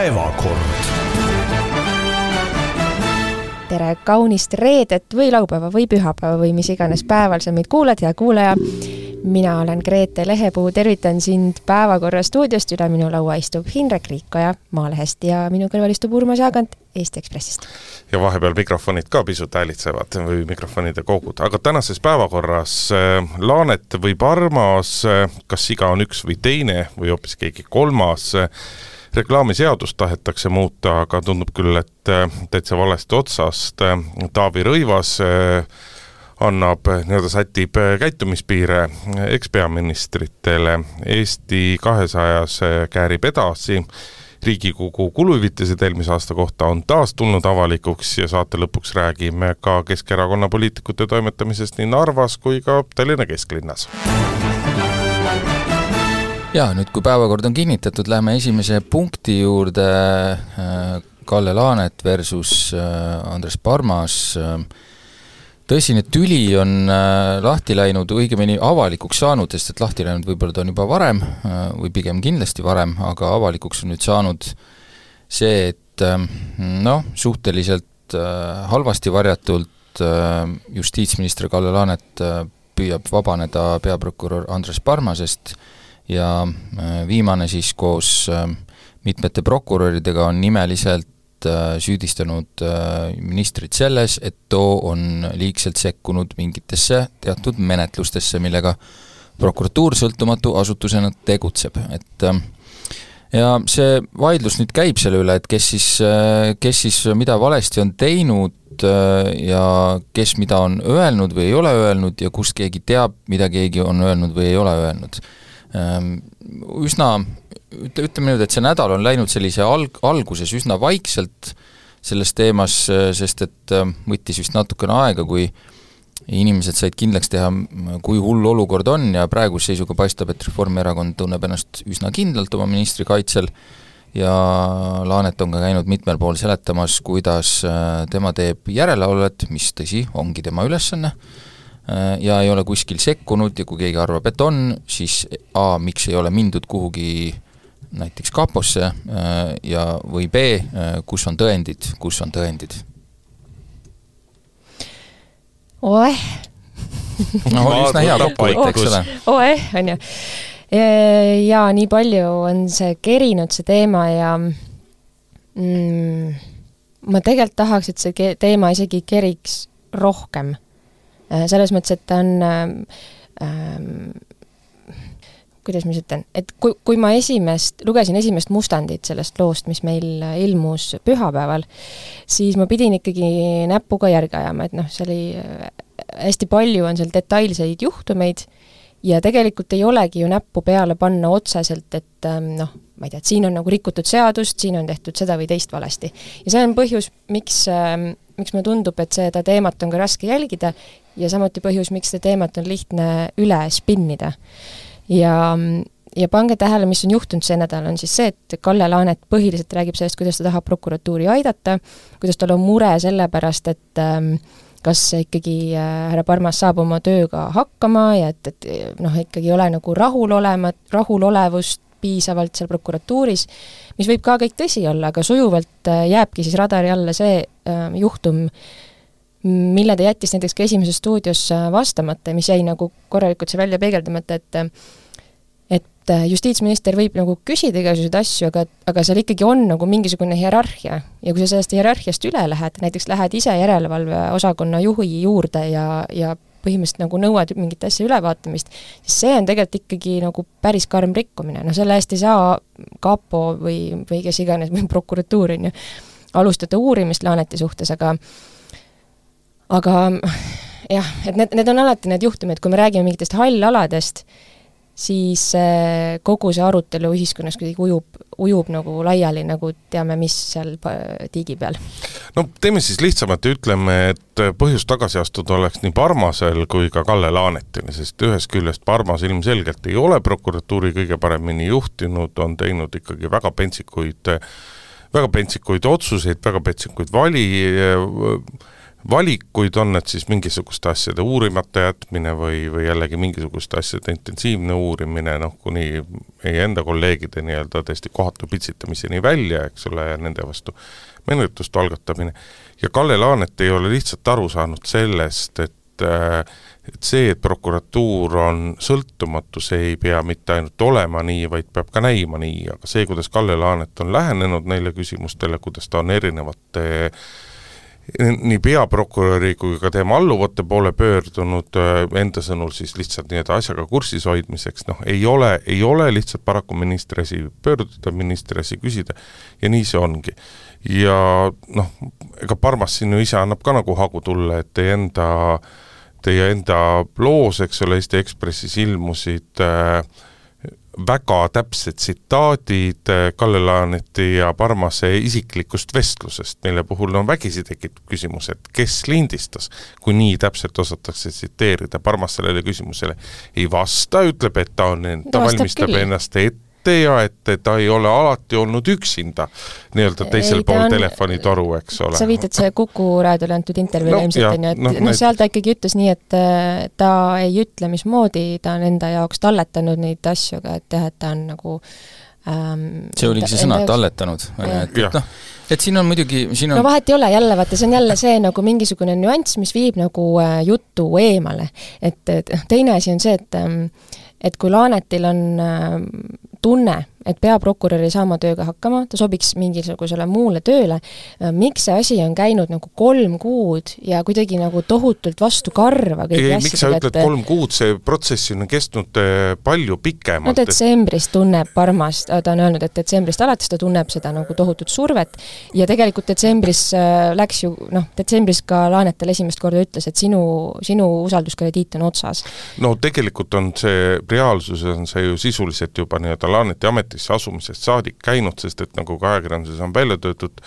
Päevakord. Tere kaunist reedet või laupäeva või pühapäeva või mis iganes päeval sa meid kuulad, hea kuulaja. Mina olen Grete Lehepuu, tervitan sind Päevakorra stuudiost, üle minu laua istub Hindrek Riikoja Maalehest ja minu kõrval istub Urmas Jaagant Eesti Ekspressist. Ja vahepeal mikrofonid ka pisut häälitsevad või mikrofonide kogud. Aga tänases päevakorras Laanet või Parmas, kas iga on üks või teine või hoopis keegi kolmas. Reklaamiseadust tahetakse muuta, aga tundub küll, et täitsa valesti otsast. Taavi Rõivas annab, sätib käitumispiire ekspeaministritele. Eesti 200 käärib edasi. Riigikogu kuluhüvitised eelmise aasta kohta on taas tulnud avalikuks ja saate lõpuks räägime ka Keskerakonna poliitikute toimetamisest nii Narvas kui ka Tallinna kesklinnas. Ja nüüd kui päevakord on kinnitatud, läheme esimese punkti juurde. Kalle Laanet versus Andres Parmas. Tõsine tüli on lahti läinud, õigemini avalikuks saanud, sest et lahti läinud võib-olla ta on juba varem või pigem kindlasti varem, aga avalikuks on nüüd saanud see, et suhteliselt halvasti varjatult justiitsminister Kalle Laanet püüab vabaneda peaprokurör Andres Parmasest ja viimane siis koos mitmete prokuröridega on nimeliselt süüdistanud ministrit selles, et too on liigselt sekkunud mingitesse teatud menetlustesse, millega prokuratuur sõltumatu asutusena tegutseb. Ja see vaidlus nüüd käib selle üle, et kes siis mida valesti on teinud ja kes mida on öelnud või ei ole öelnud ja kust keegi teab, mida keegi on öelnud või ei ole öelnud. Ütleme nüüd, et see nädal on läinud sellise alguses üsna vaikselt selles teemas, sest et võttis vist natukene aega, kui inimesed said kindlaks teha, kui hull olukord on ja praeguse seisuga paistab, et Reformierakond tunneb ennast üsna kindlalt oma ministri kaitsel ja Laanet on ka käinud mitmel pool seletamas, kuidas tema teeb järelevalvet, mis tõsi, ongi tema ülesanne ja ei ole kuskil sekkunud ja kui keegi arvab, et on, siis miks ei ole mindud kuhugi näiteks kaposse ja või B, kus on tõendid? Oeh! Oli üsna hea kokkuvõte, eks ole? Oeh, on ju. Ja nii palju on see kerinud see teema ja ma tegelikult tahaks, et see teema isegi keriks rohkem. Selles mõttes, et ta on kuidas ma ütlen, et kui ma lugesin esimest mustandit sellest loost, mis meil ilmus pühapäeval, siis ma pidin ikkagi näpuga järgi ajama, et see oli hästi palju on seal detailseid juhtumeid ja tegelikult ei olegi ju näppu peale panna otseselt, et ma ei tea, et siin on nagu rikutud seadust, siin on tehtud seda või teist valesti. Ja see on põhjus, miks mulle tundub, et seda teemat on ka raske jälgida ja samuti põhjus, miks seda teemat on lihtne üle spinnida. Ja pange tähele, mis on juhtunud see nädal, on siis see, et Kalle Laanet põhiliselt räägib sellest, kuidas ta tahab prokuratuuri aidata, kuidas tal on mure selle pärast, et kas ikkagi härra Parmas saab oma tööga hakkama ja et ikkagi ei ole nagu rahulolevust piisavalt seal prokuratuuris, mis võib ka kõik tõsi olla, aga sujuvalt jääbki siis radari alla see juhtum, mille ta jättis näiteks ka esimeses stuudios vastamata, mis jäi nagu korralikult see välja peegeldamata, et justiitsminister võib nagu küsida igasuguseid asju, aga seal ikkagi on nagu mingisugune hierarhia ja kui sa sellest hierarhiast üle lähed, näiteks lähed ise järelevalve osakonna juhi juurde ja põhimõtteliselt nagu nõuad mingit asja ülevaatamist, siis see on tegelikult ikkagi nagu päris karm rikkumine. Selle eest ei saa kapo või kes iganes või prokuratuur on ju alustada uurimist Laaneti suhtes, aga jah, et need on alati need juhtumid, kui me räägime mingitest hallaladest, siis kogu see arutelu ühiskonnas kuidagi ujub nagu laiali, nagu teame, mis seal tiigi peal. Teeme siis lihtsamalt ja ütleme, et põhjus tagasi astuda oleks nii Parmasel kui ka Kalle Laanetil, sest ühest küljest Parmas ilmselgelt ei ole prokuratuuri kõige paremini juhtinud, on teinud ikkagi väga pentsikuid otsuseid, väga pentsikuid valikuid, on need siis mingisuguste asjade uurimata jätmine või jällegi mingisuguste asjade intensiivne uurimine, kuni meie enda kolleegide nii-öelda tõesti kohatu pitsitamiseni välja, eks ole, ja nende vastu menetlust algatamine. Ja Kalle Laanet ei ole lihtsalt aru saanud sellest, et see, et prokuratuur on sõltumatu, see ei pea mitte ainult olema nii, vaid peab ka näima nii, aga see, kuidas Kalle Laanet on lähenenud neile küsimustele, kuidas ta on erinevate nii peaprokuröri kui ka tema alluvate poole pöördunud, enda sõnul siis lihtsalt nii-öelda asjaga kursis hoidmiseks, ei ole lihtsalt paraku ministri asi pöörduda, ministri asi küsida ja nii see ongi. Ja ega Parmas siin ju ise annab ka nagu hagu tulla, et teie enda loos, eks ole, Eesti Ekspressis ilmusid väga täpsed tsitaadid Kalle Laaneti ja Parmase isiklikust vestlusest, mille puhul on vägisi tekib küsimus, et kes lindistas, kui nii täpselt osatakse tsiteerida. Parmas sellele küsimusele ei vasta, ütleb, et ta valmistab ennast ette ja et ta ei ole alati olnud üksinda nii-öelda teisel pool telefonitoru, eks ole. Sa viitad see Kuku raadiole antud intervjuule ilmselt, et seal ta ikkagi ütles nii, et ta ei ütle, mismoodi ta on enda jaoks talletanud neid asju, et ta on nagu see oligi see sõna, talletanud. Et siin on muidugi... vahet ei ole jälle, vaata, see on jälle see nagu mingisugune nüanss, mis viib nagu juttu eemale. Et teine asi on see, et kui Laanetil on tunne, et peaprokurör ei saa oma tööga hakkama, ta sobiks mingisugusele muule tööle, miks see asi on käinud nagu 3 kuud ja kuidagi nagu tohutult vastu karva? Miks sa ütled 3 kuud, see protsess on kestnud palju pikemalt. Detsembris tunneb Parmas, ta on öelnud, et detsembrist alates ta tunneb seda nagu tohutut survet ja tegelikult detsembris läks ju, detsembris ka Laanetel esimest korda ütles, et sinu usalduskrediit on otsas. Tegelikult on see, reaalsuses on see ju sisuliselt juba nii-öelda Laaneti ametisse asumisest saadik käinud, sest et nagu ka ajakirjanduses on välja töötud,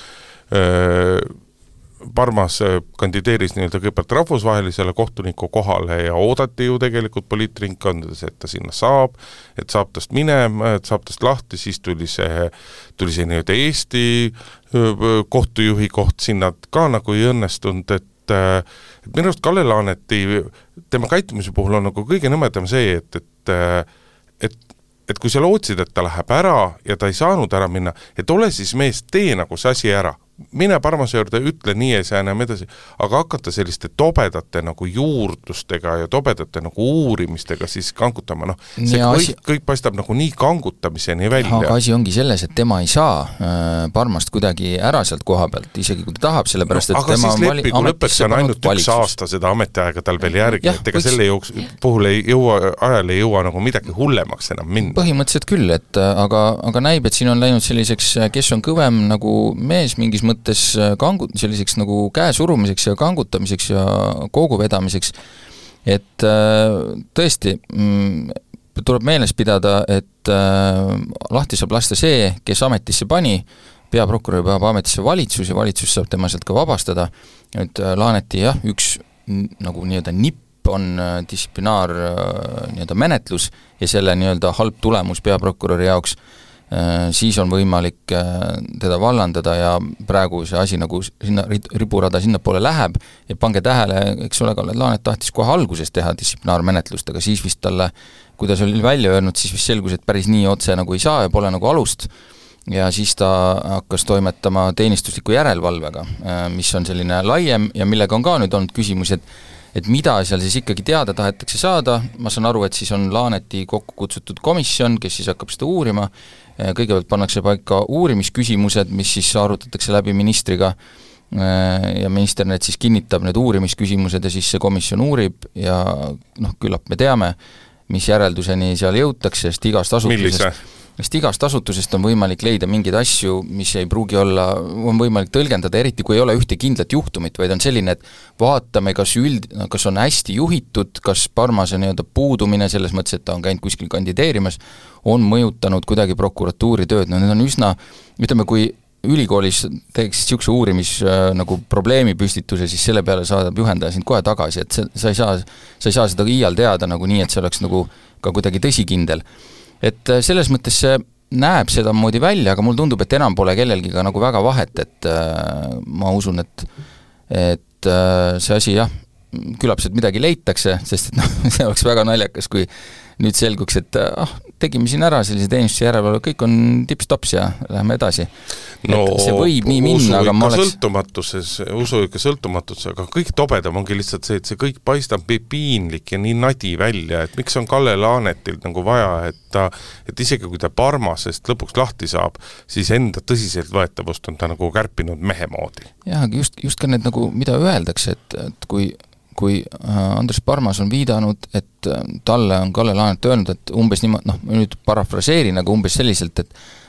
Parmas kandideeris nii-öelda kõigepealt rahvusvahelisele kohtuniku kohale ja oodati ju tegelikult poliitringkondades, et ta sinna saab, et saab tast minema, et saab tast lahti, siis tuli see nii-öelda Eesti kohtujuhi koht sinna ka nagu ei õnnestunud, et minu arust Kalle Laaneti, tema käitumise puhul on nagu kõige nõmedam see, et kui sa lootsid, et ta läheb ära ja ta ei saanud ära minna, et ole siis mees, tee nagu see asi ära. Mine Parmase juurde, ütle nii ja see enam edasi, aga hakata selliste tobedate nagu juurdlustega ja tobedate nagu uurimistega siis kangutama, see kõik paistab nagu nii kangutamiseni välja. Aga asi ongi selles, et tema ei saa Parmast kuidagi ära sealt koha pealt, isegi kui ta tahab, sellepärast, et aga tema siis leppi, kui lõpeks on ainult üks aasta seda ametiaega tal veel järgi, et ega selle puhul ajal ei jõua nagu midagi hullemaks enam minna. Põhimõtteliselt küll, et aga näib, et siin on läinud selliseks, kes on kõvem nagu mees mingis mõttes selliseks nagu käesurumiseks ja kangutamiseks ja koogu vedamiseks, et tõesti tuleb meeles pidada, et lahti saab lasta see, kes ametisse pani, peaprokurör peab ametisse valitsus ja valitsus saab tema sealt ka vabastada, et Laaneti üks nagu nii-öelda nipp on distsiplinaar nii-öelda menetlus ja selle nii-öelda halb tulemus peaprokuröri jaoks, siis on võimalik teda vallandada ja praegu see asi nagu sinna, riburada sinna poole läheb ja pange tähele, eks ole, Kalle Laanet tahtis kohe alguses teha distsiplinaarmenetlust, aga siis vist talle, kui ta oli välja öelnud, siis vist selgus, et päris nii otse nagu ei saa ja pole nagu alust ja siis ta hakkas toimetama teenistusliku järelevalvega, mis on selline laiem ja millega on ka nüüd olnud küsimus, et mida seal siis ikkagi teada tahetakse saada, ma saan aru, et siis on Laaneti kokku kutsutud komisjon, kes siis hakkab seda uurima, kõigepealt pannakse paika uurimisküsimused, mis siis arutatakse läbi ministriga ja minister need siis kinnitab need uurimisküsimused ja siis see komisjon uurib ja küllap me teame, mis järelduseni seal jõutakse, sest igast asutusest on võimalik leida mingeid asju, mis ei pruugi olla, on võimalik tõlgendada, eriti kui ei ole ühte kindlat juhtumit, vaid on selline, et vaatame, kas on hästi juhitud, kas Parmase nii-öelda puudumine selles mõttes, et ta on käinud kuskil kandideerimas, on mõjutanud kuidagi prokuratuuri tööd, need on üsna, ütleme, kui ülikoolis teeks niisuguse uurimis nagu probleemi püstituse, siis selle peale saadab juhendaja sind kohe tagasi, et sa ei saa seda iial teada nagu nii, et see oleks nagu ka kuidagi tõsikindel. Et selles mõttes see näeb seda moodi välja, aga mul tundub, et enam pole kellelgi ka nagu väga vahet, et ma usun, et et see asi jah, küllap sealt midagi leitakse, sest et see oleks väga naljakas, kui nüüd selguks, et tegime siin ära sellise teenistuse järelevalve, kõik on tips-tops ja läheme edasi. No, see võib nii minna, aga ma oleks... usu ikka sõltumatuses, aga kõik tobedam ongi lihtsalt see, et see kõik paistab piinlik ja nii nadi välja, et miks on Kalle Laanetil nagu vaja, et isegi kui ta Parmasest lõpuks lahti saab, siis enda tõsiselt võetavust on ta nagu kärpinud mehe moodi. Jah, aga just ka need nagu, mida öeldakse, et kui Andres Parmas on viidanud, et talle on Kalle Laanet öelnud, et umbes niimoodi, ma nüüd parafraseerin, aga umbes selliselt,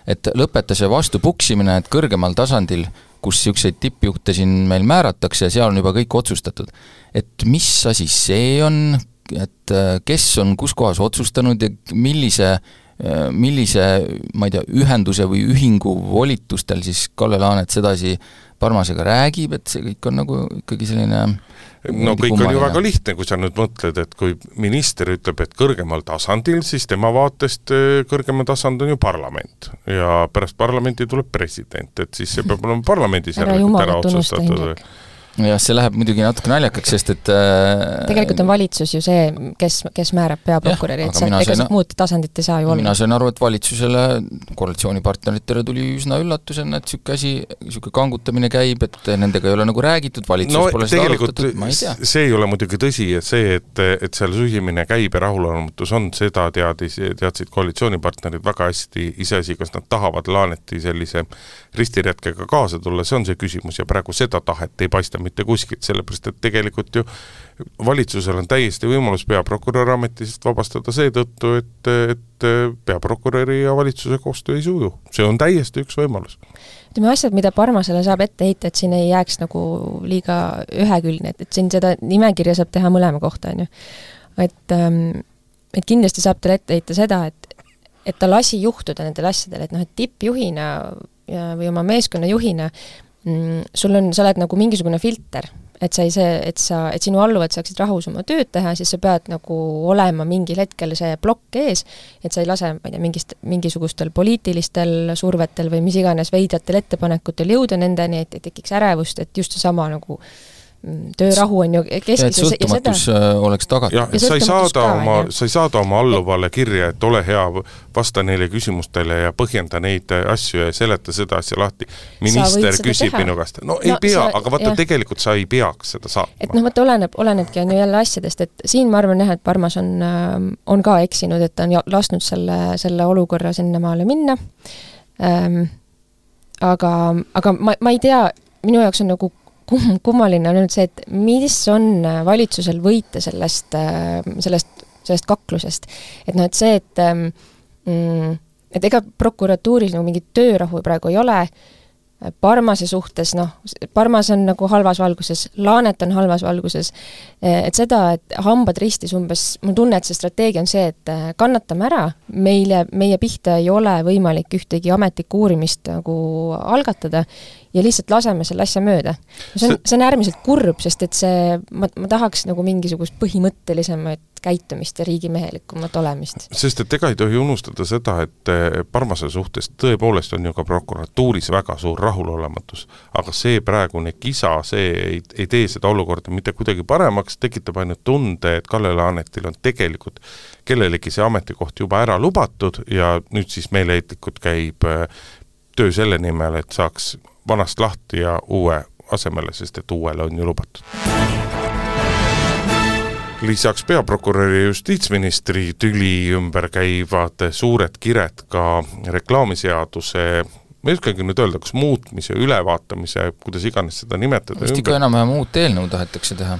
et lõpeta see vastu puksimine, et kõrgemal tasandil, kus niisuguseid tippjuhte siin meil määratakse ja seal on juba kõik otsustatud. Et mis asi see on, et kes on kus kohas otsustanud ja millise, ma ei tea, ühenduse või ühingu volitustel siis Kalle Laanet sedasi Parmasega räägib, et see kõik on nagu ikkagi selline... No kõik on ju väga lihtne, kui sa nüüd mõtled, et kui minister ütleb, et kõrgemal tasandil, siis tema vaatest kõrgemal tasand on ju parlament ja pärast parlamenti tuleb president, et siis see peab olema parlamendis ära otsustatud. Ja see läheb muidugi natuke naljakaks, sest et... Tegelikult on valitsus ju see, kes määrab peaprokuröri, et ega muud tasandit ei saa ju olla. Mina sain aru, et valitsusele, koalitsioonipartneritele tuli üsna üllatusena, et siuke kangutamine käib, et nendega ei ole nagu räägitud, valitsus pole seda arutatud, ma ei tea. See ei ole muidugi tõsi, et see, et seal sühimine käib ja rahulolematus on, seda teadsid koalitsioonipartnerid väga hästi iseasi, kas nad tahavad Laaneti sellise ristiretkega kaasa tulla, see on see küsimus ja praegu seda tahet ei paista mitte kuskilt, sellepärast, et tegelikult ju valitsusel on täiesti võimalus peaprokuröri ametist vabastada seetõttu, et peaprokuröri ja valitsuse koostöö ei suju. See on täiesti üks võimalus. Ütleme asjad, mida Parmasele saab ette heita, et siin ei jääks nagu liiga ühekülgne, et siin seda nimekirja saab teha mõlema kohta, on ju. Et kindlasti saab teile ette heita seda, et ta lasi juhtuda nendel asjadel, et et tippjuhina või oma meeskonna juhina sa oled nagu mingisugune filter, et sinu alluvad saaksid rahus oma tööd teha, siis sa pead nagu olema mingil hetkel see plokk ees, et sa ei lase, ma ei tea, mingisugustel poliitilistel survetel või mis iganes veidratel ettepanekutel jõuda nendeni, et tekiks ärevust, et just see sama nagu töörahu on ju keskis. Ja sõltumatus oleks tagatud. Ja sa ei saada oma alluvale kirja, et ole hea, vasta neile küsimustele ja põhjenda neid asju ja seleta seda asja lahti. Minister küsib minu käest. No ei pea, aga vaata tegelikult sa ei peaks seda saatma. Et vaata olenebki on ju jälle asjadest, et siin ma arvan jah, et Parmas on ka eksinud, et ta on lasnud selle olukorra sinna maale minna. Aga ma ei tea, minu jaoks on nagu kummaline on nüüd see, et mis on valitsusel võita sellest kaklusest. Et et see, et ega prokuratuuris nagu mingit töörahu praegu ei ole, Parmase suhtes, Parmas on nagu halvas valguses, Laanet on halvas valguses, et seda, et hambad ristis umbes, mul tunne, et see strateegia on see, et kannatame ära, meie pihta ei ole võimalik ühtegi ametlikku uurimist nagu algatada ja lihtsalt laseme selle asja mööda. See on äärmiselt kurb, sest et ma tahaks nagu mingisugust põhimõttelisemat käitumist ja riigimehelikumat olemist. Sest et ega ei tohi unustada seda, et Parmase suhtes tõepoolest on ju ka prokuratuuris väga suur rahulolematus, aga see praegune kisa, see ei tee seda olukorda mitte kuidagi paremaks, tekitab ainult tunde, et Kalle Laanetil on tegelikult kellelegi see ametikoht juba ära lubatud ja nüüd siis meeleheitlikult käib töö selle nimel, et saaks vanast lahti ja uue asemele, sest et uuele on ju lubatud. Lisaks peaprokuröri ja justiitsministri tüli ümber käivad suured kired ka reklaamiseaduse, ma ei oskagi nüüd öelda, kas muutmise, ülevaatamise, kuidas iganes seda nimetada. Vist ikka enam-vähem uut eelnõu tahetakse teha?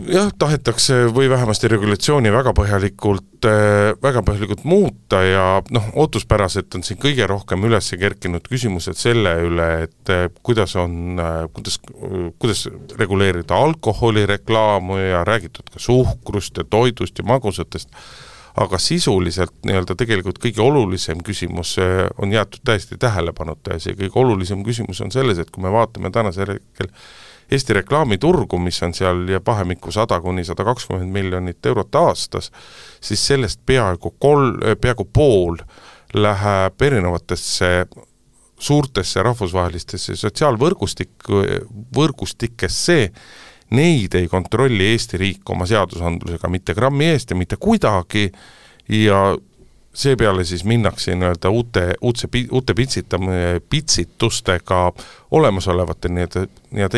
Jah, tahetakse või vähemasti regulatsiooni väga põhjalikult muuta ja ootuspäraselt on siin kõige rohkem üles kerkinud küsimused selle üle, et kuidas reguleerida alkoholireklaamu ja räägitud ka suhkrust ja toidust ja magusatest, aga sisuliselt tegelikult kõige olulisem küsimus on jäetud täiesti tähelepanuta ja see kõige olulisem küsimus on selles, et kui me vaatame tänase hetkel Eesti reklaamiturgu, mis on seal ja pahemikku 100–120 miljonit eurot aastas, siis sellest peaaegu pool läheb erinevatesse suurtesse rahvusvahelistesse sotsiaalvõrgustikesse neid ei kontrolli Eesti riik oma seadusandlusega mitte grammi eest ja mitte kuidagi ja seepeale siis minnakse uute pitsitustega olemasolevate nii-öelda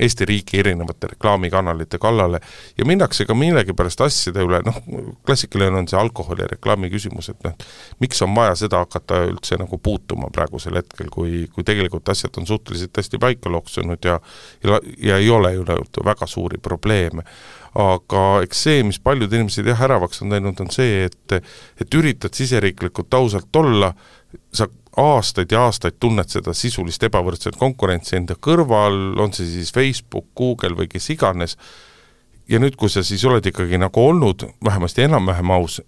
Eesti riigi erinevate reklaamikanalite kallale ja minnakse ka millegipärast asjade üle, klassikaline on see alkoholi reklaami küsimus, et miks on vaja seda hakata üldse nagu puutuma praegusel hetkel, kui tegelikult asjad on suhteliselt hästi paika loksunud ja ei ole ju väga suuri probleeme. Aga eks see, mis paljud inimesed äravaks on teinud, on see, et üritad siseriiklikult ausalt olla, sa aastaid ja aastaid tunned seda sisulist ebavõrdset konkurentsi enda kõrval, on see siis Facebook, Google või kes iganes, ja nüüd, kui sa siis oled ikkagi nagu olnud vähemasti enam-vähem aus,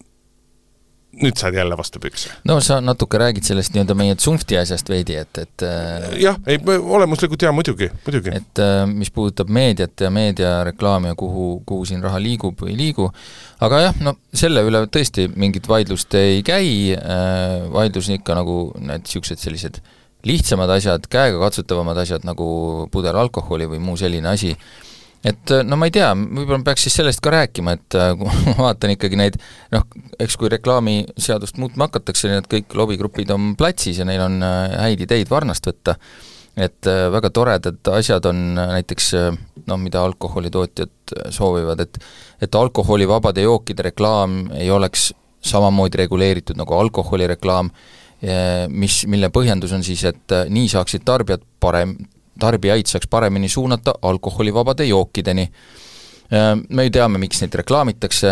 nüüd saad jälle vastu pükse. No sa natuke räägid sellest nii-öelda meie Zunfti asjast veidi, et jah, olemuslikult muidugi. Et mis puudutab meediat ja meediareklaami ja kuhu siin raha liigub või ei liigu, aga jah, selle üle tõesti mingit vaidlust ei käi, vaidlus on ikka nagu need siuksed sellised lihtsamad asjad, käega katsutavamad asjad nagu pudel alkoholi või muu selline asi. Et ma ei tea, võib-olla peaks siis sellest ka rääkima, et kui ma vaatan ikkagi neid, eks kui reklaamiseadust muutma hakatakse, need kõik lobigrupid on platsis ja neil on häid ideid varnast võtta, et väga toredad asjad on näiteks, mida alkoholitootjad soovivad, et alkoholivabade jookide reklaam ei oleks samamoodi reguleeritud nagu alkoholireklaam, mille põhjendus on siis, et nii saaksid tarbijaid saaks paremini suunata alkoholivabade jookideni. Me ju teame, miks neid reklaamitakse,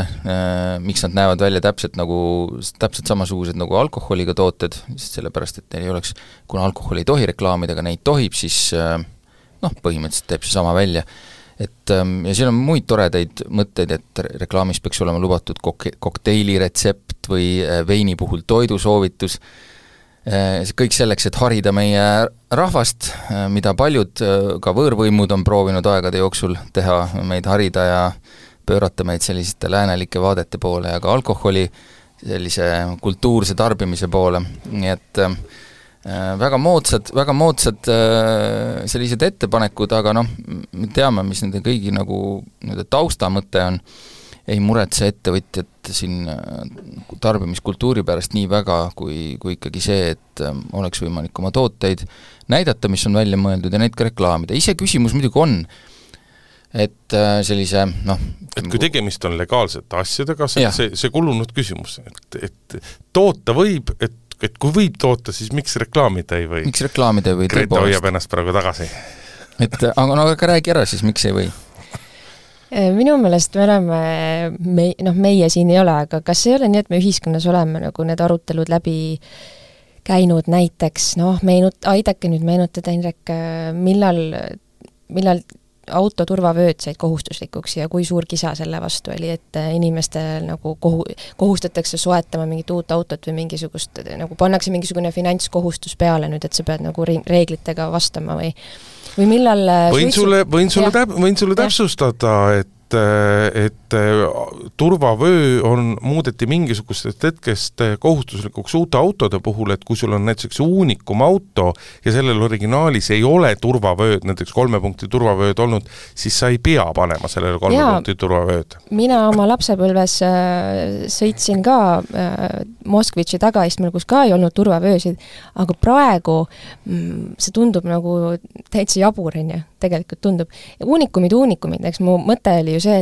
miks nad näevad välja täpselt samasugused nagu alkoholiga tooted, sellepärast, et neil ei oleks, kuna alkoholi ei tohi reklaamida, aga neid tohib, siis põhimõtteliselt teeb see sama välja. Ja siin on muid toredaid mõtteid, et reklaamis peaks olema lubatud kokteili retsept või veini puhul toidusoovitus, kõik selleks, et harida meie rahvast, mida paljud ka võõrvõimud on proovinud aegade jooksul teha, meid harida ja pöörata meid selliste läänelike vaadete poole ja ka alkoholi sellise kultuurse tarbimise poole, nii et väga moodsad sellised ettepanekud, aga me teame, mis nende kõigi nagu taustamõte on, ei muretse ettevõtjad siin tarbimiskultuuri pärast nii väga, kui ikkagi see, et oleks võimalik oma tooteid näidata, mis on välja mõeldud ja neid ka reklaamida. Ise küsimus muidugi on, et sellise et kui tegemist on legaalsete asjadega, see kulunud küsimus, et toota võib, et kui võib toota, siis miks reklaamida ei või? Miks reklaamida ei või? Greta hoiab ennast praegu tagasi. Aga räägi ära siis, miks ei või? Minu meelest me oleme, meie siin ei ole, aga kas ei ole nii, et me ühiskonnas oleme nagu need arutelud läbi käinud näiteks, aidake nüüd meenutada, Indrek, millal autoturvavööd said kohustuslikuks ja kui suur kisa selle vastu oli, et inimestel nagu kohustatakse soetama mingit uut autot või mingisugust, nagu pannakse mingisugune finantskohustus peale nüüd, et sa pead nagu reeglitega vastama või millal võin sulle täpsustada, et turvavöö muudeti mingisugustest hetkest kohustuslikuks uute autode puhul, et kui sul on näiteks uunikum auto ja sellel originaalis ei ole turvavööd, näiteks 3 punkti turvavööd olnud, siis sa ei pea panema sellele 3 punkti turvavööd. Mina oma lapsepõlves sõitsin ka Moskvitši tagaistmel, kus ka ei olnud turvavöösid, aga praegu see tundub nagu täitsa jabur, tegelikult tundub. Uunikumid, eks mu mõte oli ju see,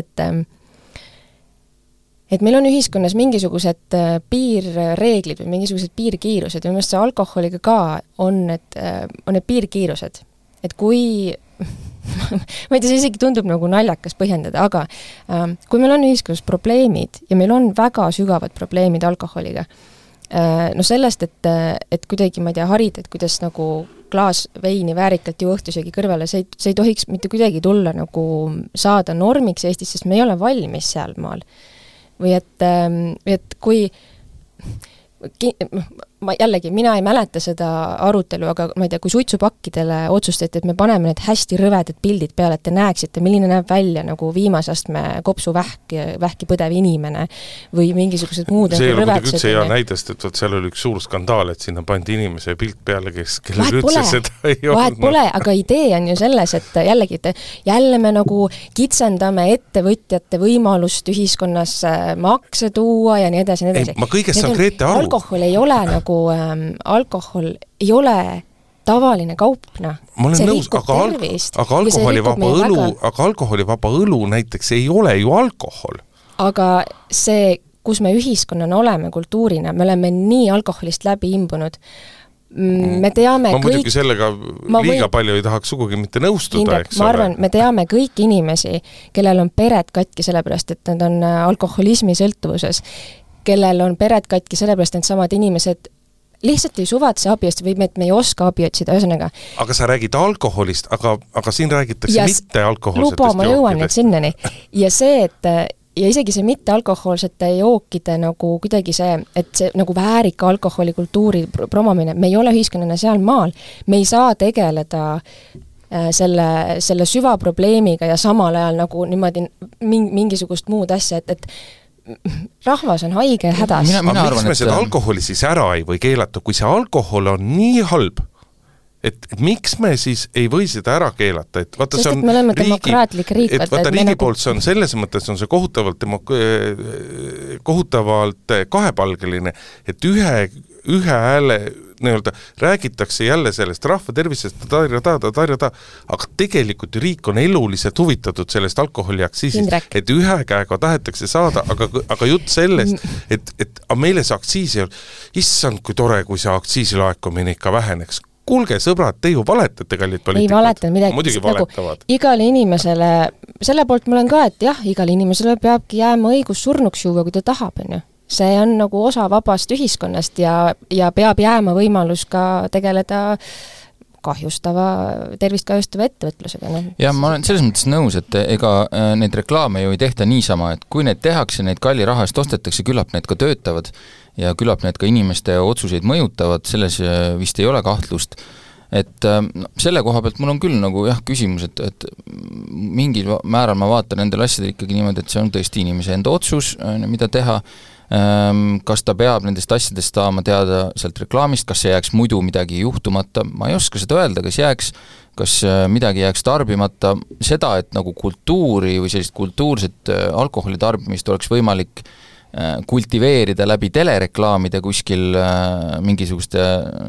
et meil on ühiskonnas mingisugused piirreeglid või mingisugused piirkiirused ja mõnest see alkoholiga ka on need piirkiirused. Et kui, ma ei tea, see isegi tundub nagu naljakas põhjendada, aga kui meil on ühiskonnas probleemid ja meil on väga sügavad probleemid alkoholiga, sellest, et kuidagi, ma ei tea, harid, et kuidas nagu klaas veini väärikalt ju õhtusöögi kõrvale, see ei tohiks mitte kuidagi tulla nagu saada normiks Eestis, sest me ei ole valmis seal maal. Või et kui mina ei mäleta seda arutelu, aga ma ei tea, kui suitsupakkidele otsustati, et me paneme need hästi rõvedad pildid peale, et te näeksite, milline näeb välja nagu viimase astme kopsuvähki põdev inimene või mingisugused muud see ei ole kuidagi üldse hea näidest, et seal oli üks suur skandaal, et sinna pandi inimese pilt peale, kellel üldse seda ei olnud. Vahet pole, aga idee on ju selles, et jälle me nagu kitsendame ettevõtjate võimalust ühiskonnas makse tuua ja nii edasi. Ma kõigest saan Grete aru. Alkohol ei ole alkohol ei ole tavaline kaupna. Ma olen nõus, aga alkoholivaba õlu näiteks ei ole ju alkohol. Aga see, kus me ühiskonnana oleme kultuurina, me oleme nii alkoholist läbi imbunud. Me teame ma muidugi sellega liiga palju ei tahaks sugugi mitte nõustuda, eks ole. Ma arvan, me teame kõiki inimesi, kellel on pered katki sellepärast, et nad on alkoholismi sõltuvuses, kellel on pered katki sellepärast, et samad inimesed lihtsalt ei suvatse abi otsida või et me ei oska abi otsida, ühesõnaga. Aga sa räägid alkoholist, aga siin räägitakse mitte alkoholsetest jookidest. Ma jõuan nüüd sinnani. Ja see, ja isegi see mitte alkoholsete jookide nagu kuidagi see, et see nagu väärika alkoholikultuuri promomine, me ei ole ühiskonnana seal maal, me ei saa tegeleda selle süvaprobleemiga ja samal ajal nagu niimoodi mingisugust muud asja, et rahvas on haige ja hädas. Mina arvan, miks me seda alkoholi siis ära ei või keelata, kui see alkohol on nii halb, et miks me siis ei või seda ära keelata, et vaata, sest et me oleme demokraatlik riik. Et vaata, riigi poolt see on selles mõttes on see kohutavalt kahepalgeline, et ühe hääle nii-öelda räägitakse jälle sellest rahva tervisest, aga tegelikult riik on eluliselt huvitatud sellest alkoholiaktsiisist, et ühe käega tahetakse saada, aga jutt sellest, et meile see aktsiis ei ole, issand, kui tore, kui see aktsiisilaekumine ikka väheneks. Kuulge, sõbrad, te ju valetate, kallid poliitikud. Ei valetanud midagi. Muidugi valetavad. Igale inimesele, selle poolt ma olen ka, et jah, igale inimesele peabki jääma õigus surnuks juua, kui ta tahab, on ju. See on nagu osa vabast ühiskonnast ja peab jääma võimalus ka tegeleda tervist kahjustava ettevõtlusega. Ja ma olen selles mõttes nõus, et ega need reklaame ju ei tehta niisama, et kui need tehakse, need kalli raha eest ostetakse, küllap need ka töötavad ja küllap need ka inimeste otsuseid mõjutavad, selles vist ei ole kahtlust. Et selle koha pealt mul on küll nagu küsimus, et mingil määral ma vaatan nendel asjadel ikkagi niimoodi, et see on tõesti inimese enda otsus, mida teha, kas ta peab nendest asjadest saama teada sealt reklaamist, kas see jääks muidu midagi juhtumata, ma ei oska seda öelda, kas midagi jääks tarbimata, seda, et nagu kultuuri või sellist kultuurset alkoholitarbimist oleks võimalik kultiveerida läbi telereklaamide kuskil mingisuguste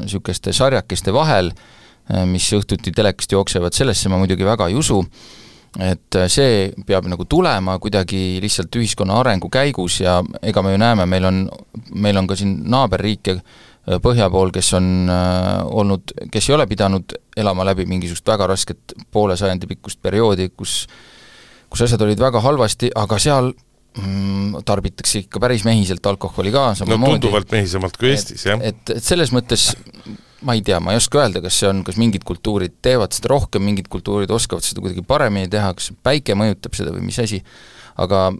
sükeste sarjakeste vahel, mis õhtuti telekast jooksevad, sellesse ma muidugi väga ei usu, et see peab nagu tulema kuidagi lihtsalt ühiskonna arengu käigus ja ega me ju näeme, meil on ka siin naaberriike põhja pool, kes on olnud, kes ei ole pidanud elama läbi mingisugust väga rasket poole sajandi pikkust perioodi, kus asjad olid väga halvasti, aga seal tarbitakse ikka päris mehiselt alkoholi ka. No tunduvalt mehisemalt kui Eestis, jah. Et selles mõttes ma ei tea, ma ei oska öelda, kas mingid kultuurid teevad seda rohkem, mingid kultuurid oskavad seda kuidagi paremini teha, kas päike mõjutab seda või mis asi, aga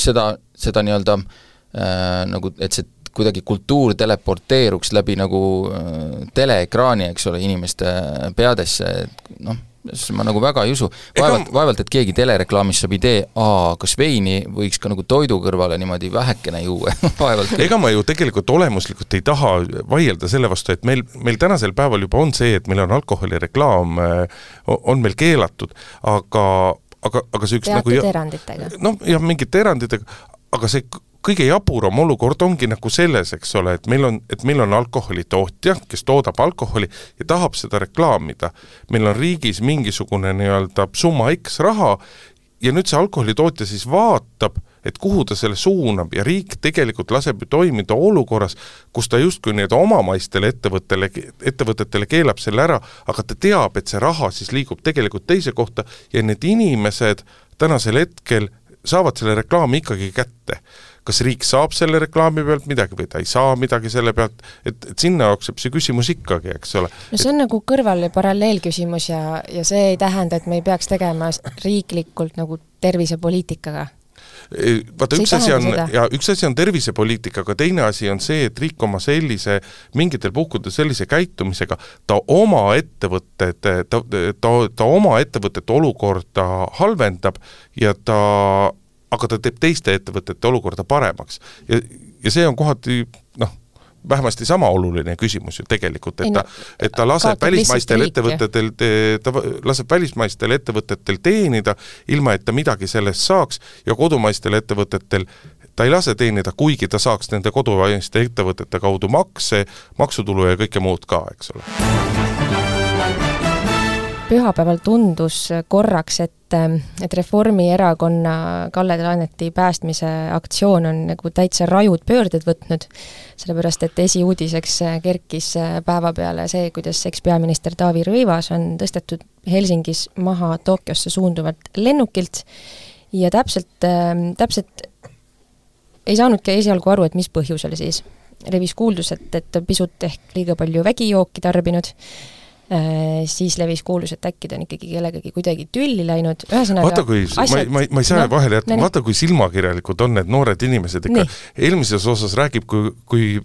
seda nii-öelda nagu, et see kuidagi kultuur teleporteeruks läbi nagu teleekraani, eks ole, inimeste peadesse, ma nagu väga ei usu. Vaevalt, et keegi telereklaamis saab idee, kas veini võiks ka nagu toidu kõrvale niimoodi vähekene juua. Ega ma ju tegelikult olemuslikult ei taha vaielda selle vastu, et meil tänasel päeval juba on see, et meil on alkoholireklaam, on meil keelatud, aga see üks teatud eranditega. Ja mingite eranditega, aga see kõige jaburam olukord ongi nagu selles, eks ole, et meil on alkoholitootja, kes toodab alkoholi ja tahab seda reklaamida. Meil on riigis mingisugune nii-öelda summa X raha ja nüüd see alkoholitootja siis vaatab, et kuhu ta selle suunab ja riik tegelikult laseb ju toimida olukorras, kus ta justkui need omamaistele ettevõtetele keelab selle ära, aga ta teab, et see raha siis liigub tegelikult teise kohta ja need inimesed tänasel hetkel saavad selle reklaami ikkagi kätte. Kas riik saab selle reklaami pealt midagi või ta ei saa midagi selle pealt, et sinna jookseb see küsimus ikkagi, eks ole. No see on nagu kõrval- ja paralleelküsimus ja see ei tähenda, et me ei peaks tegema riiklikult nagu tervisepoliitikaga. vaata, üks asi on tervisepoliitika, aga teine asi on see, et riik oma sellise, mingitel puhkudel sellise käitumisega, ta oma ettevõtete olukorda halvendab aga ta teeb teiste ettevõtete olukorda paremaks. Ja see on kohati, vähemasti sama oluline küsimus ju tegelikult, et ta laseb välismaistel ettevõtetel teenida, ilma et ta midagi sellest saaks, ja kodumaistel ettevõtetel ta ei lase teenida, kuigi ta saaks nende kodumaiste ettevõtete kaudu makse, maksutulu ja kõike muud ka, eks ole. Pühapäeval tundus korraks, et Reformierakonna Kalle Laaneti päästmise aktsioon on nagu täitsa rajud pöörded võtnud, sellepärast et esiuudiseks kerkis päeva peale see, kuidas ekspeaminister Taavi Rõivas on tõstetud Helsingis maha Tokyosse suunduvalt lennukilt ja täpselt ei saanudki esialgu aru, et mis põhjusel siis. Levis kuuldus, et pisut ehk liiga palju vägijooki tarbinud, siis levis kuulus, et äkki ta on ikkagi kellegagi kuidagi tülli läinud. Vaata, kui, ma ei saa vahele jätta, vaata, kui silmakirjalikud on need noored inimesed ikka. Eelmises osas räägib, kui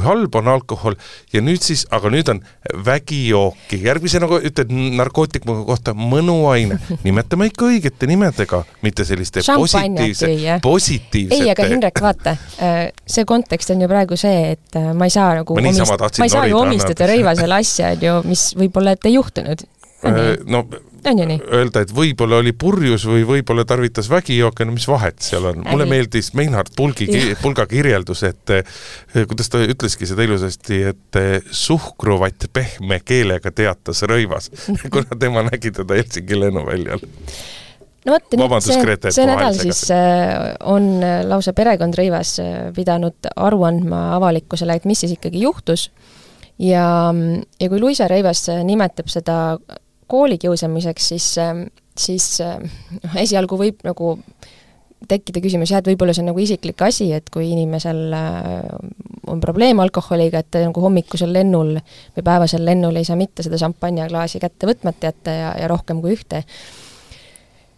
halb on alkohol ja nüüd siis, aga nüüd on vägijooki. Järgmise nagu ütled narkootiku kohta mõnuaine. Nimetame ikka õigete nimedega, mitte selliste positiivsete. Ei, aga Hindrek, vaata, see kontekst on ju praegu see, et ma ei saa nagu ju omistada Rõivasele asja, mis võib-olla et ei juhtunud. Öelda, et võib-olla oli purjus või võib-olla tarvitas vägijooke, mis vahet seal on. Mulle meeldis Meinhard Pulga kirjeldus, et kuidas ta ütleski seda ilusasti, et suhkruvat pehme keelega teatas Rõivas, kuna tema nägi teda Helsingi lennuväljal. No võtta, see nädal siis on lausa perekond Rõivas pidanud aru andma avalikkusele, et mis siis ikkagi juhtus. Ja kui Luisa Rõivas nimetab seda koolikiusamiseks, siis esialgu võib nagu tekkida küsimus, et võib-olla see on nagu isiklik asi, et kui inimesel on probleem alkoholiga, et nagu hommikusel lennul või päevasel lennul ei saa mitte seda šampanjaklaasi kätte võtmata jätta ja rohkem kui ühte.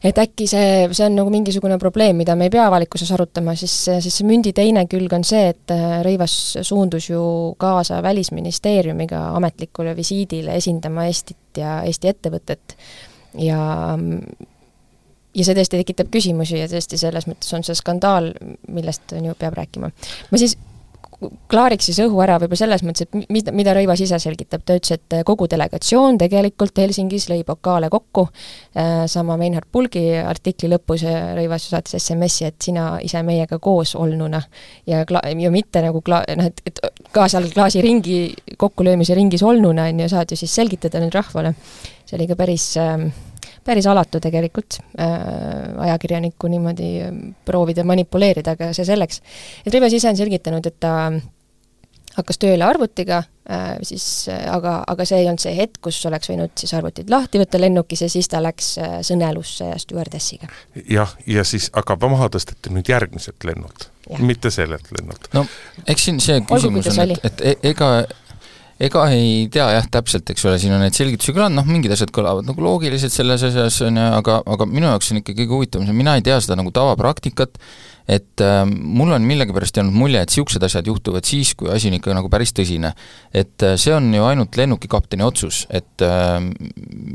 Et äkki see on nagu mingisugune probleem, mida me ei pea avalikkuses arutama, siis see mündi teine külg on see, et Rõivas suundus ju kaasa Välisministeeriumiga ametlikule visiidile esindama Eestit ja Eesti ettevõtet ja see tõesti tekitab küsimusi ja tõesti selles mõttes on see skandaal, millest on ju peab rääkima. Ma siis klaariks siis õhu ära võib-olla selles mõttes, et mida Rõivas ise selgitab. Ta ütles, et kogu delegatsioon tegelikult Helsingis lõi pokaale kokku, sama Meinhard Pulgi artikli lõpus Rõivas saatis SMS-i, et sina ise meiega koos olnuna ja mitte nagu et ka seal klaasi ringi, kokkulöömise ringis olnuna saad ju siis selgitada nüüd rahvale. See oli ka päris alatu tegelikult ajakirjanikku niimoodi proovida manipuleerida, aga see selleks. Et Rõivas ise on selgitanud, et ta hakkas tööle arvutiga, aga see ei olnud see hetk, kus oleks võinud siis arvutid lahti võtta lennukis ja siis ta läks sõnelusse ja stjuardessiga. Ja siis aga maha tõsteti nüüd järgmiselt lennult, mitte sellelt lennult. No, eks siin see küsimus on, et ega ei tea täpselt, eks ole, siin on need selgitusi kõlanud, mingid asjad kõlavad nagu loogiliselt selles asjas, aga minu jaoks on ikka kõige huvitav, mina ei tea seda nagu tavapraktikat, et mul on millegipärast jäänud mulje, et siuksed asjad juhtuvad siis, kui asi on ikka nagu päris tõsine. Et see on ju ainult lennukikapteni otsus, et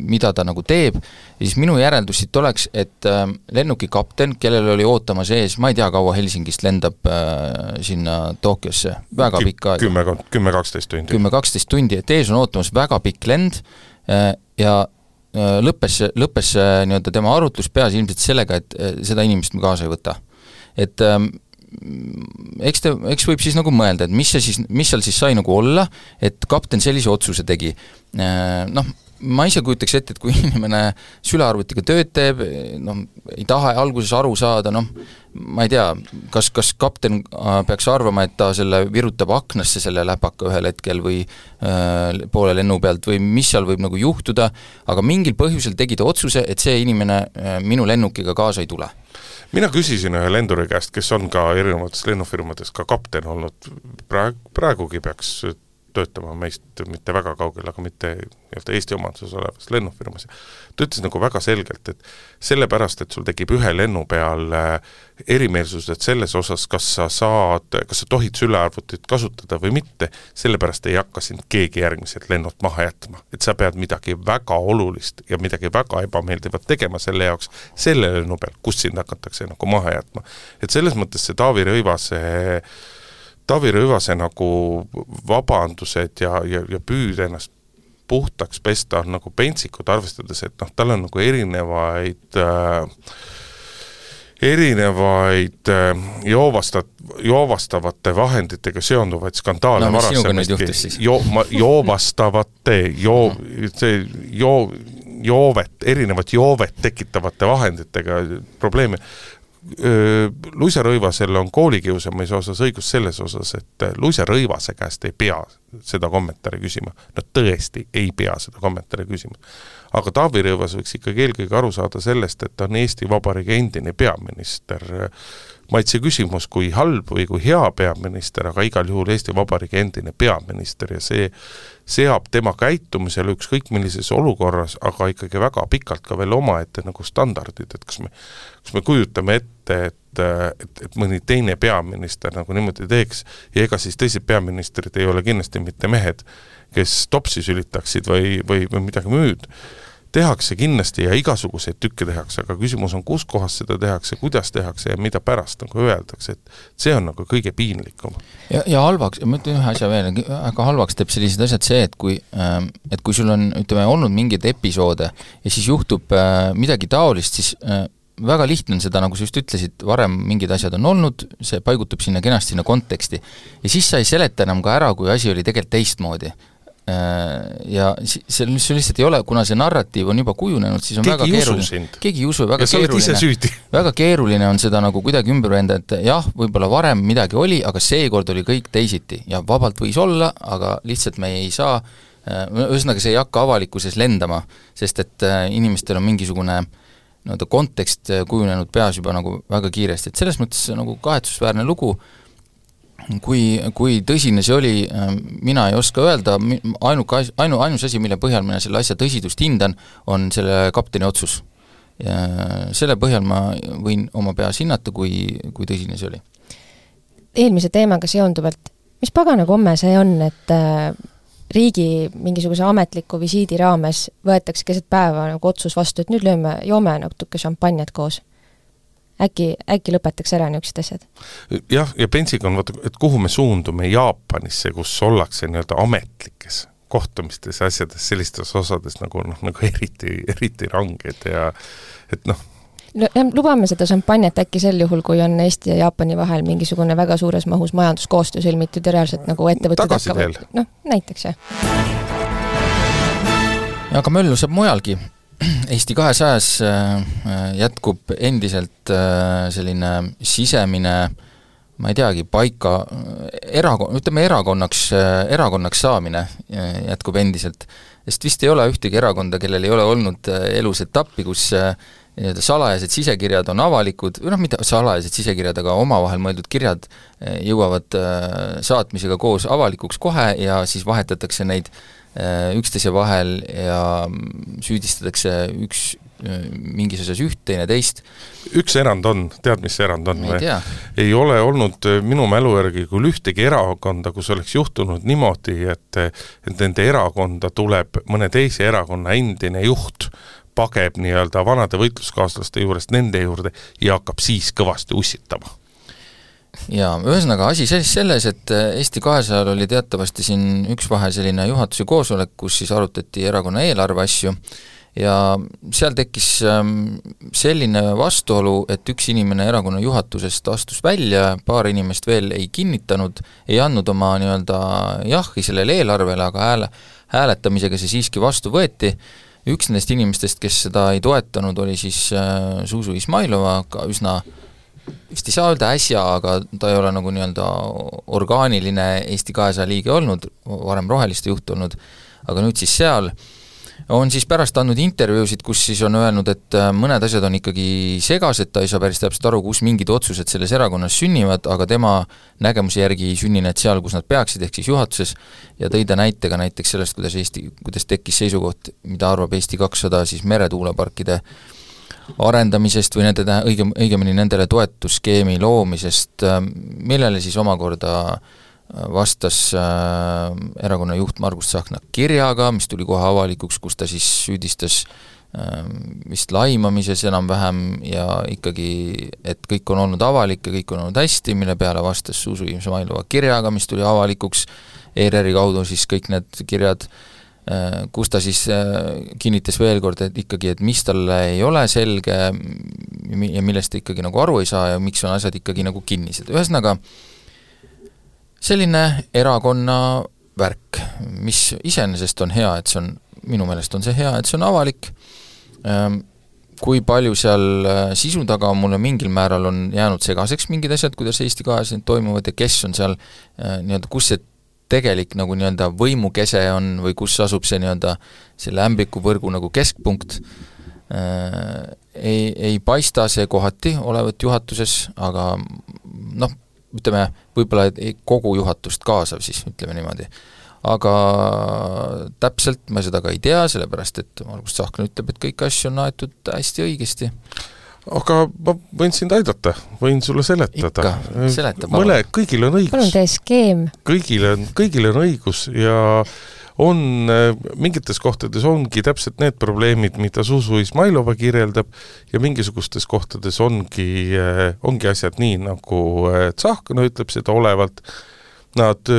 mida ta nagu teeb, ja siis minu järeldus siit oleks, et lennukikapten, kellel oli ootamas ees, ma ei tea, kaua Helsingist lendab sinna Tokyosse, väga pikka aega. 10-12 tundi. 10-12 tundi, et ees on ootamas väga pikk lend ja lõppes nii-öelda tema arutlus peas ilmselt sellega, et seda inimest me kaasa ei võta. Et eks võib siis nagu mõelda, et mis seal siis sai nagu olla, et kapten sellise otsuse tegi. Ma ise kujutaks ette, et kui inimene sülearvutiga tööd teeb, ei taha alguses aru saada, ma ei tea, kas kapten peaks arvama, et ta selle virutab aknasse selle läpaka ühel hetkel või poole lennu pealt või mis seal võib nagu juhtuda, aga mingil põhjusel tegi ta otsuse, et see inimene minu lennukiga kaasa ei tule. Mina küsisin ühe lenduri käest, kes on ka erinevates lennufirmades ka kapten olnud, praegugi peaks töötama meist mitte väga kaugel, aga mitte Eesti omanduses olevas lennufirmas. Ta ütles nagu väga selgelt, et sellepärast, et sul tekib ühe lennu peal erimeelsused selles osas, kas sa tohid sülearvutit kasutada või mitte, sellepärast ei hakka sind keegi järgmiselt lennult maha jätma. Et sa pead midagi väga olulist ja midagi väga ebameeldivat tegema selle jaoks selle lennu peal, kus sind hakatakse nagu maha jätma. Et selles mõttes see Taavi Rõivase nagu vabandused ja püüd ennast puhtaks pesta on nagu pentsikud, arvestades, et tal on nagu erinevaid joovastavate vahenditega seonduvaid skandaale erinevat joovet tekitavate vahenditega probleemi. Luisa Rõivasel on koolikiusamise osas õigus selles osas, et Luisa Rõivase käest ei pea seda kommentaari küsima. Nad tõesti ei pea seda kommentaari küsima. Aga Taavi Rõivas võiks ikkagi eelkõige aru saada sellest, et ta on Eesti Vabariigi endine peaminister. Ma et see küsimus, kui halb või kui hea peaminister, aga igal juhul Eesti Vabariigi endine peaminister ja see seab tema käitumisele ükskõik millises olukorras, aga ikkagi väga pikalt ka veel omaette nagu standardid, et kas me kujutame ette, et mõni teine peaminister nagu niimoodi teeks ja ega siis teised peaministrid ei ole kindlasti mitte mehed, kes topsi sülitaksid või midagi müüd. Tehakse kindlasti ja igasuguseid tükke tehakse, aga küsimus on, kus kohas seda tehakse, kuidas tehakse ja mida pärast nagu öeldakse, et see on nagu kõige piinlikum. Ja halvaks, ma ütlen ühe asja veel, aga halvaks teeb sellised asjad see, et kui sul on, ütleme, olnud mingeid episoode ja siis juhtub midagi taolist, siis väga lihtne on seda, nagu sa just ütlesid, varem mingid asjad on olnud, see paigutub sinna kenasti sinna konteksti ja siis sa ei seleta enam ka ära, kui asi oli tegelikult teistmoodi. Ja see lihtsalt ei ole, kuna see narratiiv on juba kujunenud, siis on väga keeruline. Keegi ei usu, väga keeruline on seda nagu kuidagi ümber venda, et jah, võib-olla varem midagi oli, aga seekord oli kõik teisiti ja vabalt võis olla, aga lihtsalt me ei saa, ühesõnaga see ei hakka avalikkuses lendama, sest et inimestel on mingisugune kontekst kujunenud peas juba nagu väga kiiresti, et selles mõttes nagu kahetsusväärne lugu. Kui tõsine see oli, mina ei oska öelda, ainus asi, mille põhjal mina selle asja tõsidust hindan, on selle kapteni otsus. Ja selle põhjal ma võin oma peas hinnata, kui tõsine see oli. Eelmise teemaga seonduvalt, mis pagana komme see on, et riigi mingisuguse ametliku visiidi raames võetakse keset päeva nagu otsus vastu, et nüüd joome natuke šampanjat koos? Äkki lõpetaks ära niisugused asjad? Jah, ja pentsiga on, et kuhu me suundume Jaapanisse, kus ollakse nii-öelda ametlikes kohtumistes asjades sellistes osades nagu eriti ranged ja et No, lubame seda šampanjat äkki sel juhul, kui on Eesti ja Jaapani vahel mingisugune väga suures mahus majanduskoostöö sõlmitud ja reaalselt nagu ettevõtted tagasi veel. Näiteks jah. Ja aga möllu saab mujalgi. Eesti 200-s jätkub endiselt selline sisemine, ma ei teagi, paika, erakonnaks saamine jätkub endiselt, sest vist ei ole ühtegi erakonda, kellel ei ole olnud elus etappi, kus salajased sisekirjad on avalikud, mitte salajased sisekirjad, aga omavahel mõeldud kirjad jõuavad saatmisega koos avalikuks kohe ja siis vahetatakse neid üksteise vahel ja süüdistatakse mingis osas üht, teine teist. Üks erand on, tead mis erand on? Ei ole olnud minu mälu järgi küll ühtegi erakonda, kus oleks juhtunud niimoodi, et nende erakonda tuleb mõne teise erakonna endine juht, pageb nii-öelda vanade võitluskaaslaste juurest nende juurde ja hakkab siis kõvasti ussitama. Ja ühesõnaga asi selles, et Eesti 200 oli teatavasti siin üks vahe selline juhatuse koosolek, kus siis arutati erakonna eelarve asju ja seal tekkis selline vastuolu, et üks inimene erakonna juhatusest astus välja, paar inimest veel ei kinnitanud, ei andnud oma nii-öelda jahi sellele eelarvele, aga hääletamisega see siiski vastu võeti. Üks nendest inimestest, kes seda ei toetanud, oli siis Zuzu Izmailova, ka üsna vist ei saa öelda äsja, aga ta ei ole nagu nii-öelda orgaaniline Eesti 200 liige olnud, varem roheliste juht olnud, aga nüüd siis seal on siis pärast andnud intervjuusid, kus siis on öelnud, et mõned asjad on ikkagi segased, ta ei saa päris täpselt aru, kus mingid otsused selles erakonnas sünnivad, aga tema nägemuse järgi ei sünni need seal, kus nad peaksid, ehk siis juhatuses, ja tõi ta näitega näiteks sellest, kuidas tekkis seisukoht, mida arvab Eesti 200 siis meretuuleparkide arendamisest või nende, õigemini nendele toetusskeemi loomisest, millele siis omakorda vastas erakonna juht Margus Tsahkna kirjaga, mis tuli kohe avalikuks, kus ta siis süüdistas vist laimamises enam-vähem ja ikkagi, et kõik on olnud avalik ja kõik on olnud hästi, mille peale vastas Zuzu Izmailova kirjaga, mis tuli avalikuks ERR-i kaudu siis kõik need kirjad, kus ta siis kinnitas veel kord, et ikkagi, et mis talle ei ole selge ja millest ta ikkagi nagu aru ei saa ja miks on asjad ikkagi nagu kinnised. Ühesõnaga, selline erakonna värk, mis iseenesest on hea, et see on, minu meelest on see hea, et see on avalik. Kui palju seal sisu taga mulle mingil määral on jäänud segaseks mingid asjad, kuidas Eesti 200 toimuvad ja kes on seal nii-öelda, kus see tegelik nagu nii-öelda võimukese on või kus asub see nii-öelda selle ämblikuvõrgu nagu keskpunkt, ei paista see kohati olevat juhatuses, aga noh, ütleme, võib-olla kogu juhatust kaasav siis, ütleme niimoodi. Aga täpselt ma seda ka ei tea, sellepärast et Margus Tsahkna ütleb, et kõik asju on aetud hästi õigesti. Aga ma võin sind aidata, võin sulle seletada. Ikka, seleta palun. Kõigil on õigus. Palun tee skeem. Kõigil on õigus ja on mingites kohtades ongi täpselt need probleemid, mida Zuzu Izmailova kirjeldab ja mingisugustes kohtades ongi asjad nii, nagu Tsahkna ütleb seda olevalt. Nad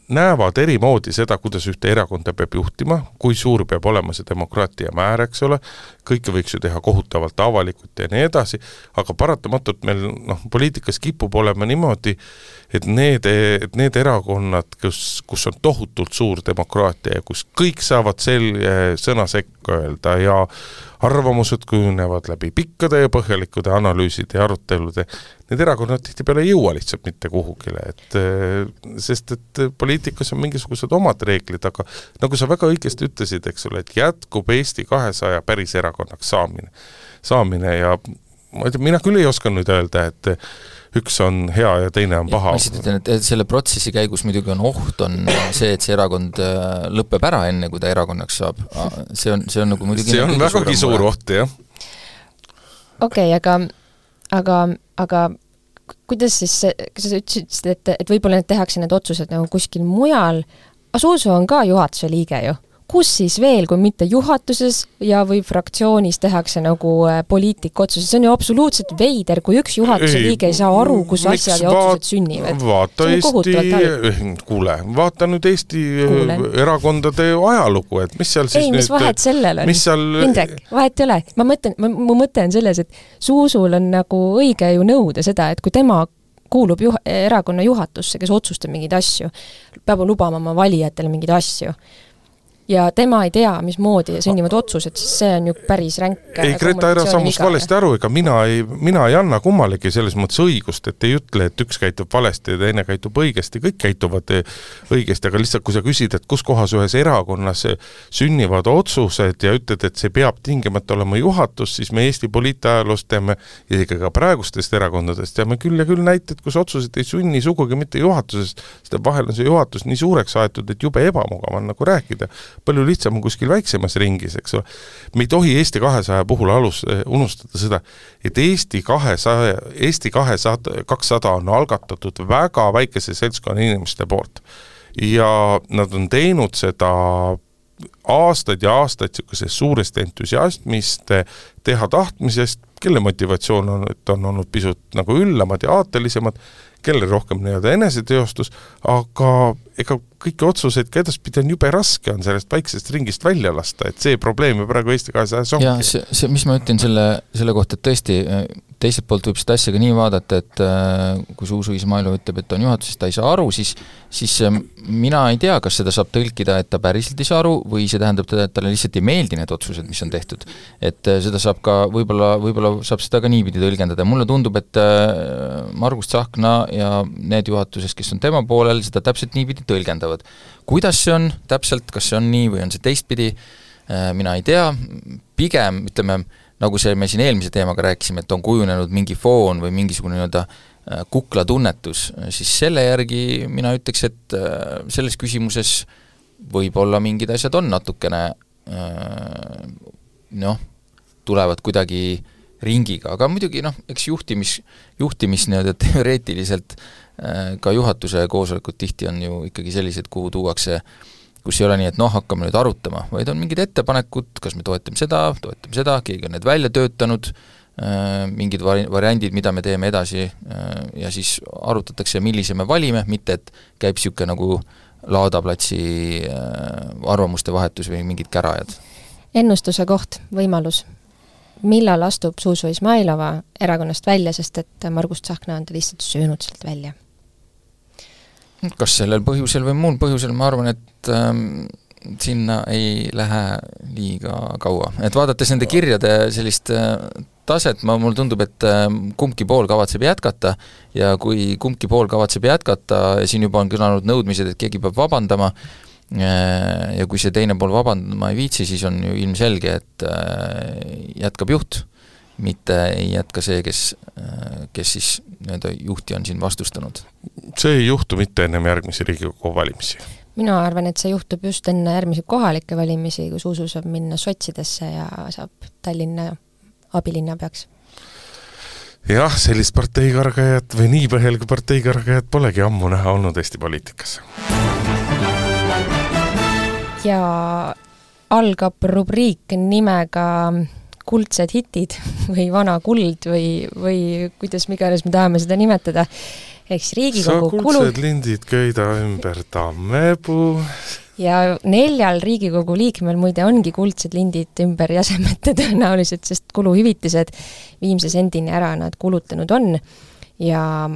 näevad eri moodi seda, kuidas ühte erakonda peab juhtima, kui suur peab olema see demokraatia määr, eks ole, kõike võiks ju teha kohutavalt avalikult ja nii edasi, aga paratamatult meil poliitikas kipub olema niimoodi, et need erakonnad, kus on tohutult suur demokraatia ja kus kõik saavad sõna sekka öelda ja arvamused kujunevad läbi pikkade ja põhjalikude analüüside ja arutelude, need erakonnad tihtipeale ei jõua lihtsalt mitte kuhugile, sest et poliitikas on mingisugused omad reeglid, aga nagu sa väga õigesti ütlesid, eks ole, et jätkub Eesti 200 päris erakonnaks saamine ja ma ei tea, mina küll ei oska nüüd öelda, et üks on hea ja teine on paha. Ma lihtsalt ütlen, et selle protsessi käigus muidugi on oht, on see, et see erakond lõpeb ära enne, kui ta erakonnaks saab. See on nagu muidugi... See on vägagi suur oht, jah. Okei, aga kuidas siis, kas sa ütlesid, et võib-olla need tehakse need otsused nagu kuskil mujal, aga Zuzu on ka juhatuse liige ju. Kus siis veel, kui mitte juhatuses ja või fraktsioonis tehakse nagu poliitikotsused? See on ju absoluutselt veider, kui üks juhatuse liige ei saa aru, kus asjad ja otsused sünnivad. Vaata nüüd Eesti erakondade ajalugu, et mis seal siis mis vahet sellel on? Indrek, vahet ei ole. Mu mõte on selles, et Zuzul on nagu õige ju nõuda seda, et kui tema kuulub erakonna juhatusse, kes otsustab mingeid asju, peab lubama oma valijatele mingeid asju, ja tema ei tea, mismoodi sünnivad otsused, siis see on ju päris ränk. Ei, Greta ära sammust valesti aru, ega mina ei anna kummalegi selles mõttes õigust, et ei ütle, et üks käitub valesti ja teine käitub õigesti, kõik käituvad õigesti, aga lihtsalt kui sa küsid, et kus kohas ühes erakonnas sünnivad otsused ja ütled, et see peab tingimata olema juhatus, siis me Eesti poliitajalust teame ja ikka ka praegustest erakondadest teame küll ja küll näited, kus otsused ei sünni sugugi mitte juhatusest, sest vahel on see juhatus nii suureks aetud, et jube ebamugav on nagu rääkida. Palju lihtsam on kuskil väiksemas ringis, eks ole. Me ei tohi Eesti 200 puhul unustada seda, et Eesti 200 on algatatud väga väikese seltskonna inimeste poolt. Ja nad on teinud seda aastaid ja aastaid suurest entusiasmist, teha tahtmisest, kelle motivatsioon on olnud pisut nagu üllamad ja aatelisemad, kelle rohkem eneseteostus, aga ega kõiki otsuseid ka edaspidi on jube raske on sellest väiksest ringist välja lasta, et see probleem ju praegu Eesti 200 ongi. Ja see, mis ma ütlen selle kohta, et tõesti teiselt poolt võib seda asja ka nii vaadata, et kui Zuzu Izmailov ütleb, et on juhatuses, ta ei saa aru, siis mina ei tea, kas seda saab tõlkida, et ta päriselt ei saa aru või see tähendab teda, et talle lihtsalt ei meeldi need otsused, mis on tehtud. Et seda saab ka, võib-olla saab seda ka niipidi tõlgendada. Mulle tundub, et Margus Tsahkna ja need juhatuses, kes on tema poolel, seda täpselt niipidi tõlgendavad. Kuidas see on täpselt, kas see on nii või on see teistpidi, mina ei tea, pigem ütleme, nagu see me siin eelmise teemaga rääkisime, et on kujunenud mingi foon või mingisugune nii-öelda kuklatunnetus, siis selle järgi mina ütleks, et selles küsimuses võib-olla mingid asjad on natukene tulevad kuidagi ringiga, aga muidugi eks juhtimis nii-öelda teoreetiliselt ka juhatuse koosolekud tihti on ju ikkagi sellised, kuhu tuuakse, kus ei ole nii, et hakkame nüüd arutama, vaid on mingid ettepanekud, kas me toetame seda, keegi on need välja töötanud, mingid variandid, mida me teeme edasi ja siis arutatakse, millise me valime, mitte et käib niisugune nagu laadaplatsi arvamuste vahetus või mingid kärajad. Ennustuse koht, võimalus. Millal astub Zuzu Izmailova erakonnast välja, sest et Margus Tsahkna on ta lihtsalt söönud sealt välja? Kas sellel põhjusel või muul põhjusel, ma arvan, et sinna ei lähe liiga kaua. Et vaadates nende kirjade sellist taset, mul tundub, et kumbki pool kavatseb jätkata ja kui kumbki pool kavatseb jätkata ja siin juba on kõlanud nõudmised, et keegi peab vabandama ja kui see teine pool vabandama ei viitsi, siis on ju ilmselge, et jätkab juht, mitte ei jätka see, kes siis nii-öelda juhti on siin vastustanud. See ei juhtu mitte ennem järgmisi Riigikogu valimisi. Mina arvan, et see juhtub just enne järgmisi kohalikke valimisi, kui Zuzu saab minna sotsidesse ja saab Tallinna abilinnapeaks. Jah, sellist parteikargajat või nii põhjaliku parteikargajat polegi ammu näha olnud Eesti poliitikas. Ja algab rubriik nimega kuldsed hitid või vana kuld või kuidas iganes me tahame seda nimetada. Eks Riigikogu kuldsed lindid köida ümber tammepuu. Ja 4 Riigikogu liikmel muide ongi kuldsed lindid ümber jäsemete tõenäoliselt, sest kuluhüvitised viimse sendini ära nad kulutanud on. Ja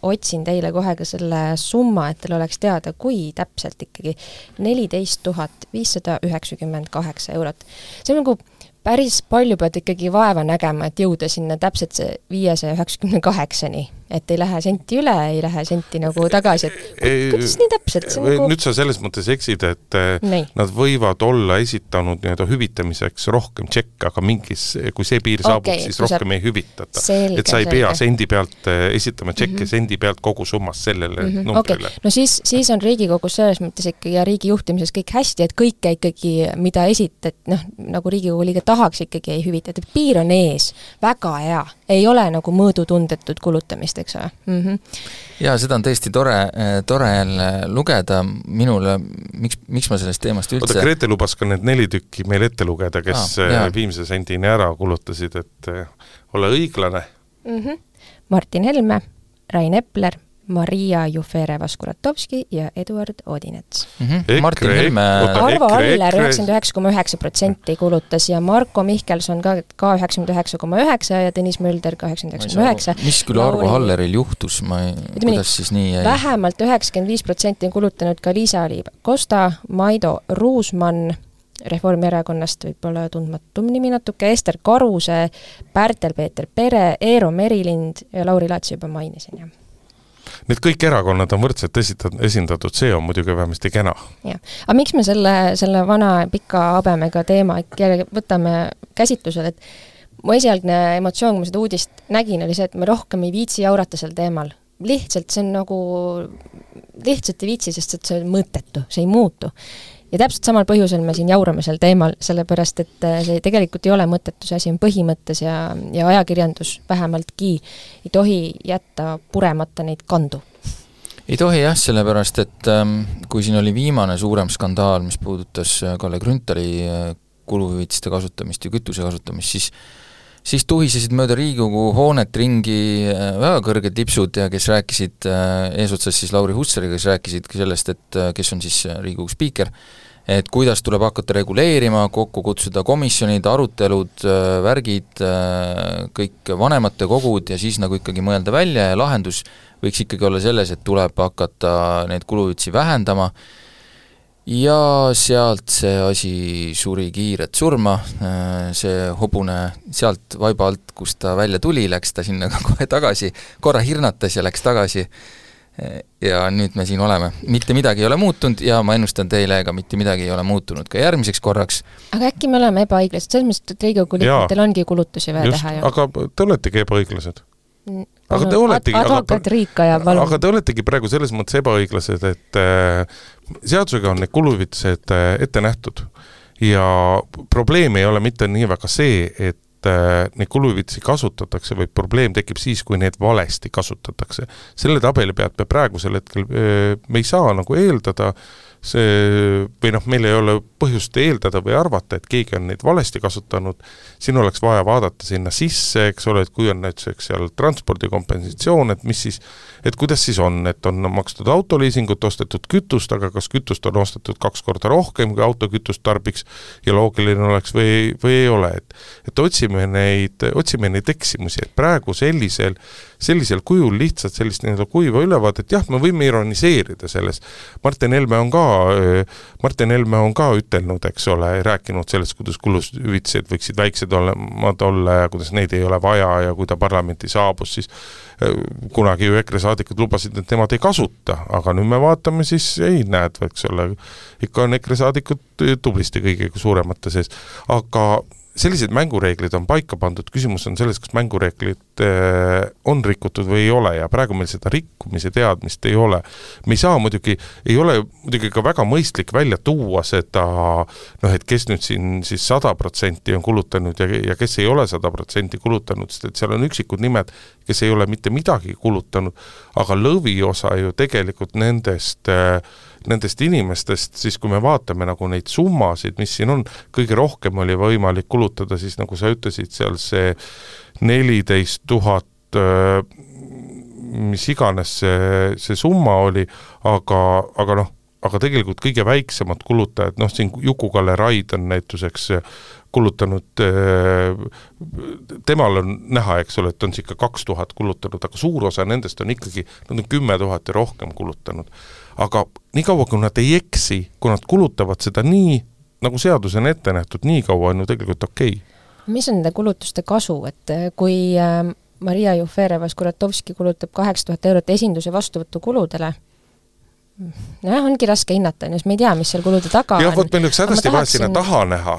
otsin teile kohe ka selle summa, et teil oleks teada, kui täpselt ikkagi 14 598 eurot. See on nagu päris palju pead ikkagi vaeva nägema, et jõuda sinna täpselt see 598-ni, et ei lähe senti üle, ei lähe senti nagu tagasi, et kuidas nii täpselt? Nagu... Nüüd sa selles mõttes eksid, et nad võivad olla esitanud nii-öelda hüvitamiseks rohkem tšekke, aga mingis, kui see piir saabub, siis rohkem ei hüvitata. Et sa ei pea sendi pealt esitama tšekke sendi pealt kogu summas sellele numbrile. No siis on Riigikogus selles mõttes ikkagi ja riigi juhtimises kõik hästi, et kõike ikkagi, mida esitad, nagu Riigikogu liige tahaks ikkagi ei hüvitada. Piir on ees, väga hea. Ei ole nagu mõõdutundetud kulutamist, eks ole. Ja seda on tõesti tore jälle lugeda minule, miks ma sellest teemast üldse... Oota, Grete lubas ka need 4 tükki meil ette lugeda, kes viimse sendini ära kulutasid, et ole õiglane. Martin Helme, Rain Epler, Maria Jufereva-Skuratovski ja Eduard Odinets. Martin Helme... Arvo Aller 99,9% kulutas ja Marko Mihkelson ka 99,9% ja Tõnis Mölder 89,9%. Mis küll Arvo Alleril juhtus? Kuidas siis nii jäi? Vähemalt 95% on kulutanud ka Liisa-Li Kosta, Maido Ruusmann, Reformierakonnast võib-olla tundmatum nimi natuke, Ester Karuse, Pärtel-Peeter Pere, Eero Merilind ja Lauri Laats juba mainisin, jah. Need kõik erakonnad on võrdselt esindatud, see on muidugi vähemasti kena. Ja. Aga miks me selle vana pika habemega teema võtame käsitlusel, et mu esialgne emotsioon, kui ma seda uudist nägin, oli see, et me rohkem ei viitsi jaurata sel teemal. Lihtsalt see on nagu, lihtsalt ei viitsi, sest see on mõttetu, see ei muutu. Ja täpselt samal põhjusel me siin jaurame sel teemal, sellepärast, et see tegelikult ei ole mõttetu, see asi on põhimõttes ja ajakirjandus vähemaltki ei tohi jätta puremata neid kandu. Ei tohi jah, sellepärast, et kui siin oli viimane suurem skandaal, mis puudutas Kalle Grünthali kuluhüvitiste kasutamist ja kütuse kasutamist, siis tuhisesid mööda Riigikogu hoonet ringi väga kõrged lipsud ja kes rääkisid eesotsas siis Lauri Hussariga, kes rääkisid sellest, et kes on siis Riigikogu spiiker, et kuidas tuleb hakata reguleerima, kokku kutsuda komisjonid, arutelud, värgid, kõik vanemate kogud ja siis nagu ikkagi mõelda välja ja lahendus võiks ikkagi olla selles, et tuleb hakata neid kuluhüvitisi vähendama. Ja sealt see asi suri kiiret surma, see hobune sealt vaiba alt, kus ta välja tuli, läks ta sinna kohe tagasi, korra hirnatas ja läks tagasi. ja nüüd me siin oleme. Mitte midagi ei ole muutunud ja ma ennustan teile, ega mitte midagi ei ole muutunud ka järgmiseks korraks. Aga äkki me oleme ebaõiglased, selles mõttes, et Riigikogu liikmetel ongi kulutusi vaja teha. Aga te oletegi ebaõiglased. Advokaat Riik ajab valum. Aga te oletegi praegu selles mõttes ebaõiglased, et seadusega on need kuluvitused ette nähtud ja probleem ei ole mitte nii väga see, et neid kuluvitsi kasutatakse, või probleem tekib siis, kui need valesti kasutatakse. Selle tabeli pealt me praegusel hetkel me ei saa nagu eeldada või meil ei ole põhjust eeldada või arvata, et keegi on neid valesti kasutanud. Siin oleks vaja vaadata sinna sisse, eks ole, et kui on näiteks seal transpordikompensatsioon, et mis siis, et kuidas siis on, et on makstud autoliisingut, ostetud kütust, aga kas kütust on ostetud 2 korda rohkem, kui autokütust tarbiks ja loogiline oleks või ei ole. Et otsime neid eksimusi, et praegu sellisel kujul lihtsalt sellist kuiva ülevaat, et jah, me võime ironiseerida selles. Martin Helme on ka ütelnud, eks ole, rääkinud sellest, kuidas kuluvitsed võiksid väiksed olla ja kuidas neid ei ole vaja ja kui ta parlamenti saabus, siis kunagi ju EKRE saadikud lubasid, et nemad ei kasuta, aga nüüd me vaatame siis, ei näed, eks ole, ikka on EKRE saadikud tublisti kõige suuremate sees, aga sellised mängureeglid on paika pandud, küsimus on selles, kas mängureeglid on rikutud või ei ole ja praegu meil seda rikkumise teadmist ei ole. Me ei saa ei ole ka väga mõistlik välja tuua seda, et kes nüüd siin siis 100% on kulutanud ja kes ei ole 100% kulutanud, sest et seal on üksikud nimed, kes ei ole mitte midagi kulutanud, aga lõviosa ju tegelikult nendest inimestest, siis kui me vaatame nagu neid summasid, mis siin on, kõige rohkem oli võimalik kulutada, siis nagu sa ütlesid, seal see 14 000, mis iganes see summa oli, aga tegelikult kõige väiksemad kulutajad, siin Juku-Kalle Raid on näituseks kulutanud, temal on näha, eks ole, et on ikka 2000 kulutanud, aga suur osa nendest on ikkagi, nad on 10 000 ja rohkem kulutanud. Aga nii kaua, kui nad ei eksi, kui nad kulutavad seda nii, nagu seadus on ette nähtud, nii kaua on ju tegelikult okei. Mis on nende kulutuste kasu, et kui Maria Jufereva-Skuratovski kulutab 8000 eurot esinduse vastuvõtu kuludele, ongi raske hinnata, me ei tea, mis seal kulude taga on. Võt meil üks hädasti vaja sinna taha näha.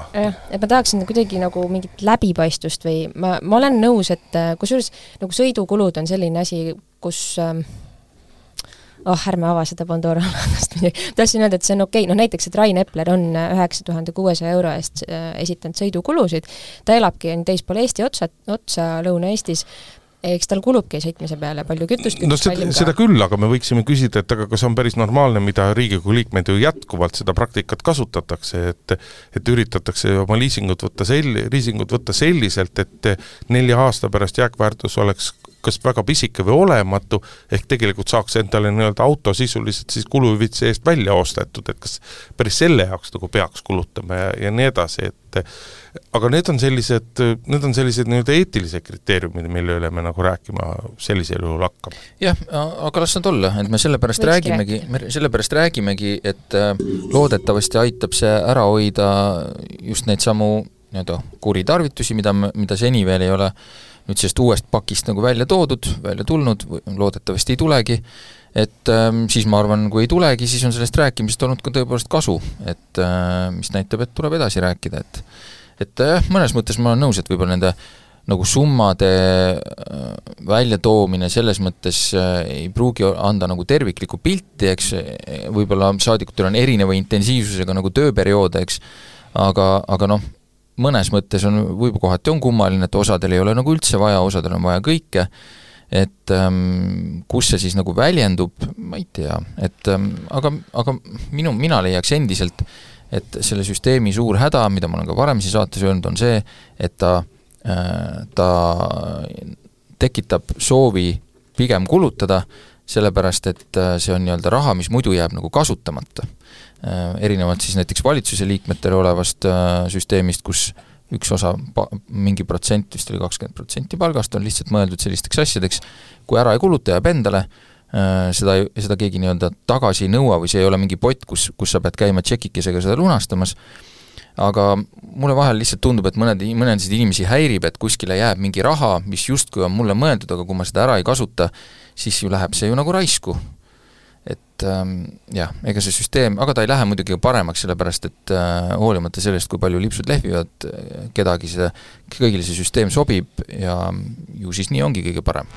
Et ma tahaksin kuidagi nagu mingit läbipaistvust või ma olen nõus, et kusjuures nagu sõidukulud on selline asi, kus ärme ava seda Pandora laenast midagi. Tahtsin öelda, et see on okei. Näiteks, et Rain Epler on 9600 euro eest esitanud sõidukulusid. Ta elabki teispool Eesti otsa Lõuna-Eestis. Eks tal kulubki sõitmise peale palju kütust. Seda küll, aga me võiksime küsida, et aga kas on päris normaalne, mida Riigikogu liikmed ju jätkuvalt seda praktikat kasutatakse, et üritatakse oma liisingut võtta selliselt, et 4 aasta pärast jääkväärtus oleks kas väga pisike või olematu, ehk tegelikult saaks endale auto sisuliselt siis kuluvitsi eest välja ostetud, et kas päris selle jaoks nagu peaks kulutama ja nii edasi, aga need on sellised eetilised kriteeriumid, mille üle me nagu rääkima sellisel juhul hakkame. Jah, aga las nad olla, et me sellepärast räägimegi, et loodetavasti aitab see ära hoida just neid samu kuritarvitusi, mida seni veel ei ole nüüd sellest uuest pakist nagu välja tulnud, loodetavasti ei tulegi, et siis ma arvan, kui ei tulegi, siis on sellest rääkimisest olnud ka tõepoolest kasu, et mis näitab, et tuleb edasi rääkida, et mõnes mõttes ma olen nõus, et võib-olla nende nagu summade väljatoomine selles mõttes ei pruugi anda nagu terviklikku pilti, eks võib-olla saadikutel on erineva intensiivsusega nagu tööperioode, eks, aga mõnes mõttes võib-olla kohati on kummaline, et osadel ei ole nagu üldse vaja, osadel on vaja kõike, et kus see siis nagu väljendub, ma ei tea, et aga mina leiaks endiselt, et selle süsteemi suur häda, mida ma olen ka varem siin saates öelnud, on see, et ta tekitab soovi pigem kulutada, sellepärast, et see on raha, mis muidu jääb nagu kasutamata. Erinevalt siis näiteks valitsuse liikmetele olevast süsteemist, kus üks osa, mingi protsent, vist oli 20% palgast, on lihtsalt mõeldud sellisteks asjadeks, kui ära ei kuluta jääb endale, seda keegi tagasi ei nõua või see ei ole mingi pott, kus sa pead käima tšekikesega seda lunastamas, aga mulle vahel lihtsalt tundub, et mõnesid inimesi häirib, et kuskile jääb mingi raha, mis justkui on mulle mõeldud, aga kui ma seda ära ei kasuta, siis ju läheb see ju nagu raisku. et jah, ega see süsteem, aga ta ei lähe muidugi paremaks, sellepärast et hoolimata sellest, kui palju lipsud lehvivad, kõigile see süsteem sobib ja ju siis nii ongi kõige parem.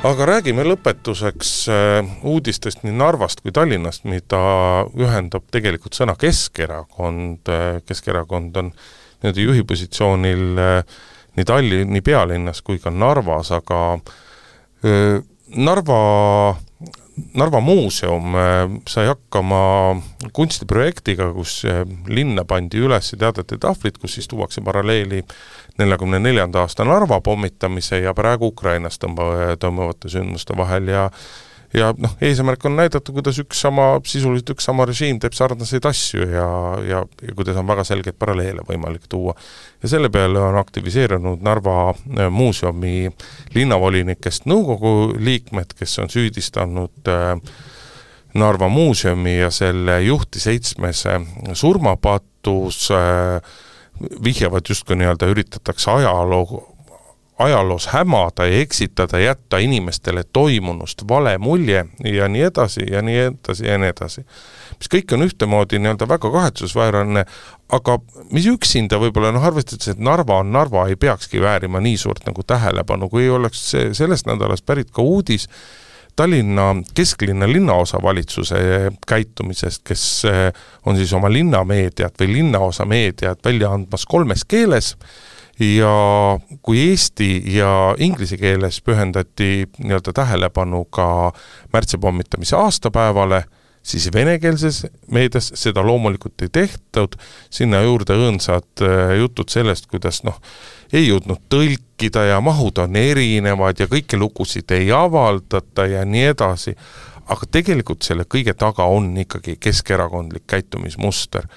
Aga räägime lõpetuseks uudistest nii Narvast kui Tallinnast, mida ühendab tegelikult sõna Keskerakond. Keskerakond on juhipositsioonil nii Tallinni pealinnas kui ka Narvas, aga Narva muuseum sai hakkama kunstiprojektiga, kus linna pandi üles teadete tahvlid, kus siis tuuakse paralleeli 44. aasta Narva pommitamise ja praegu Ukrainas toimuvate sündmuste vahel ja eesmärk on näidata, kuidas sisuliselt üks sama režiim teeb sarnaseid asju ja kuidas on väga selgeid paralleele võimalik tuua. Ja selle peale on aktiviseerunud Narva muuseumi linnavolinikest nõukogu liikmed, kes on süüdistanud Narva muuseumi ja selle juhti 7 surmapattus, vihjavad justkui üritatakse ajaloos hämada ja eksitada, jätta inimestele toimunust vale mulje ja nii edasi ja nii edasi ja nii edasi. Mis kõik on ühtemoodi väga kahetsusväärane, aga mis üksinda võib-olla arvestades, et Narva ei peakski väärima nii suurt nagu tähelepanu, kui oleks sellest nädalast pärit ka uudis Tallinna kesklinna linnaosa valitsuse käitumisest, kes on siis oma linnameediat või linnaosa meediat välja andmas 3 keeles ja kui eesti ja inglise keeles pühendati tähelepanu ka märtsipommitamise aastapäevale, siis venekeelses meedias seda loomulikult ei tehtud, sinna juurde õõnsad jutud sellest, kuidas ei jõudnud tõlkida ja mahud on erinevad ja kõiki lugusid ei avaldata ja nii edasi. Aga tegelikult selle kõige taga on ikkagi keskerakondlik käitumismuster.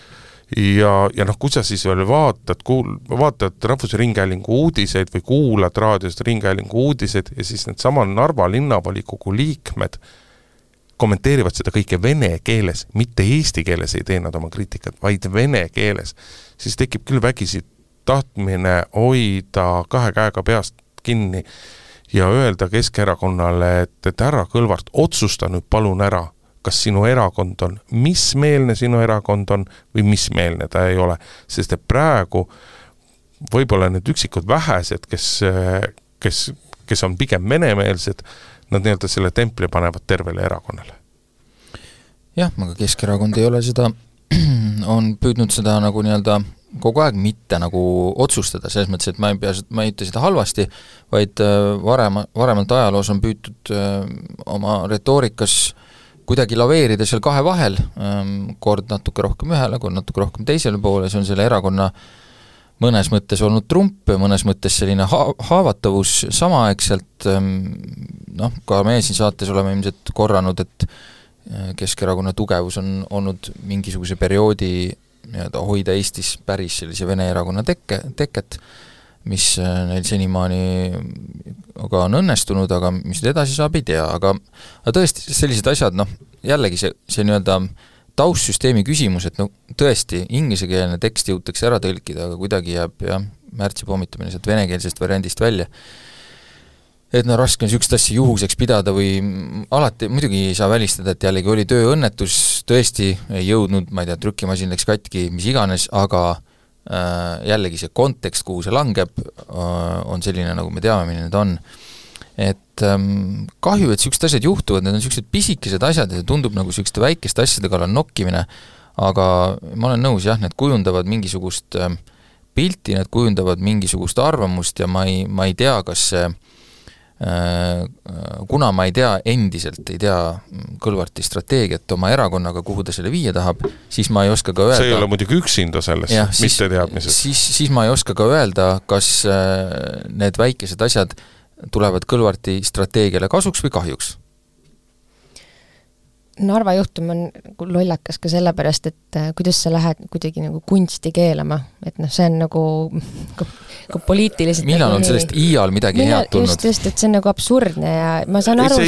Ja kui sa siis veel vaatad Rahvusringhäälingu uudiseid või kuulad raadiost Ringhäälingu uudiseid ja siis need sama Narva linnavolikogu liikmed kommenteerivad seda kõike vene keeles, mitte eesti keeles ei tee nad oma kriitikat, vaid vene keeles, siis tekib küll vägisi tahtmine hoida 2 käega peast kinni ja öelda Keskerakonnale, et härra Kõlvart, otsusta nüüd palun ära, kas sinu erakond on, mis meelne sinu erakond on või mis meelne ta ei ole. Sest et praegu võib-olla need üksikud vähesed, kes on pigem venemeelsed, nad selle templi panevad tervele erakonnale. Jah, aga Keskerakond ei ole seda, on püüdnud seda nagu kogu aeg mitte nagu otsustada, selles mõttes, et ma ei ütle seda halvasti, vaid varemalt ajaloos on püütud oma retoorikas kuidagi laveerida seal 2 vahel, kord natuke rohkem ühele, kord natuke rohkem teisele poole, see on selle erakonna mõnes mõttes olnud trump, mõnes mõttes selline haavatavus samaaegselt, ka meie siin saates oleme ilmselt korranud, et Keskerakonna tugevus on olnud mingisuguse perioodi hoida Eestis päris sellise Vene erakonna teket, mis neil senimaani aga on õnnestunud, aga mis edasi saab, ei tea, aga tõesti sellised asjad, jällegi see taustsüsteemi küsimus, et tõesti ingliskeelne tekst jõutakse ära tõlkida, aga kuidagi jääb märtsi pommitamine sealt venekeelsest variandist välja. Et raske on sükst asja juhuseks pidada või alati muidugi ei saa välistada, et jällegi oli tööõnnetus, tõesti ei jõudnud, ma ei tea, trükimasin läks katki, mis iganes, aga jällegi see kontekst, kuhu see langeb, on selline, nagu me teame, milline need on. Et kahju, et sükst asjad juhtuvad, need on süksed pisikesed asjad ja see tundub nagu sükste väikeste asjade kallal nokkimine, aga ma olen nõus, jah, need kujundavad mingisugust pilti, need kujundavad mingisugust arvamust ja ma ei tea, kas see kuna ma ei tea Kõlvarti strateegiat oma erakonnaga, kuhu ta selle viia tahab, siis ma ei oska ka öelda... See ei ole muidugi üksinda selles, mitte teadmises. Siis ma ei oska ka öelda, kas need väikesed asjad tulevad Kõlvarti strateegiale kasuks või kahjuks. Narva juhtum on lollakas ka sellepärast, et kuidas sa lähed kuidagi nagu kunsti keelama, et see on nagu poliitiliselt... Millal on sellest iial midagi head tulnud? Just, et see on nagu absurdne ja ma saan aru,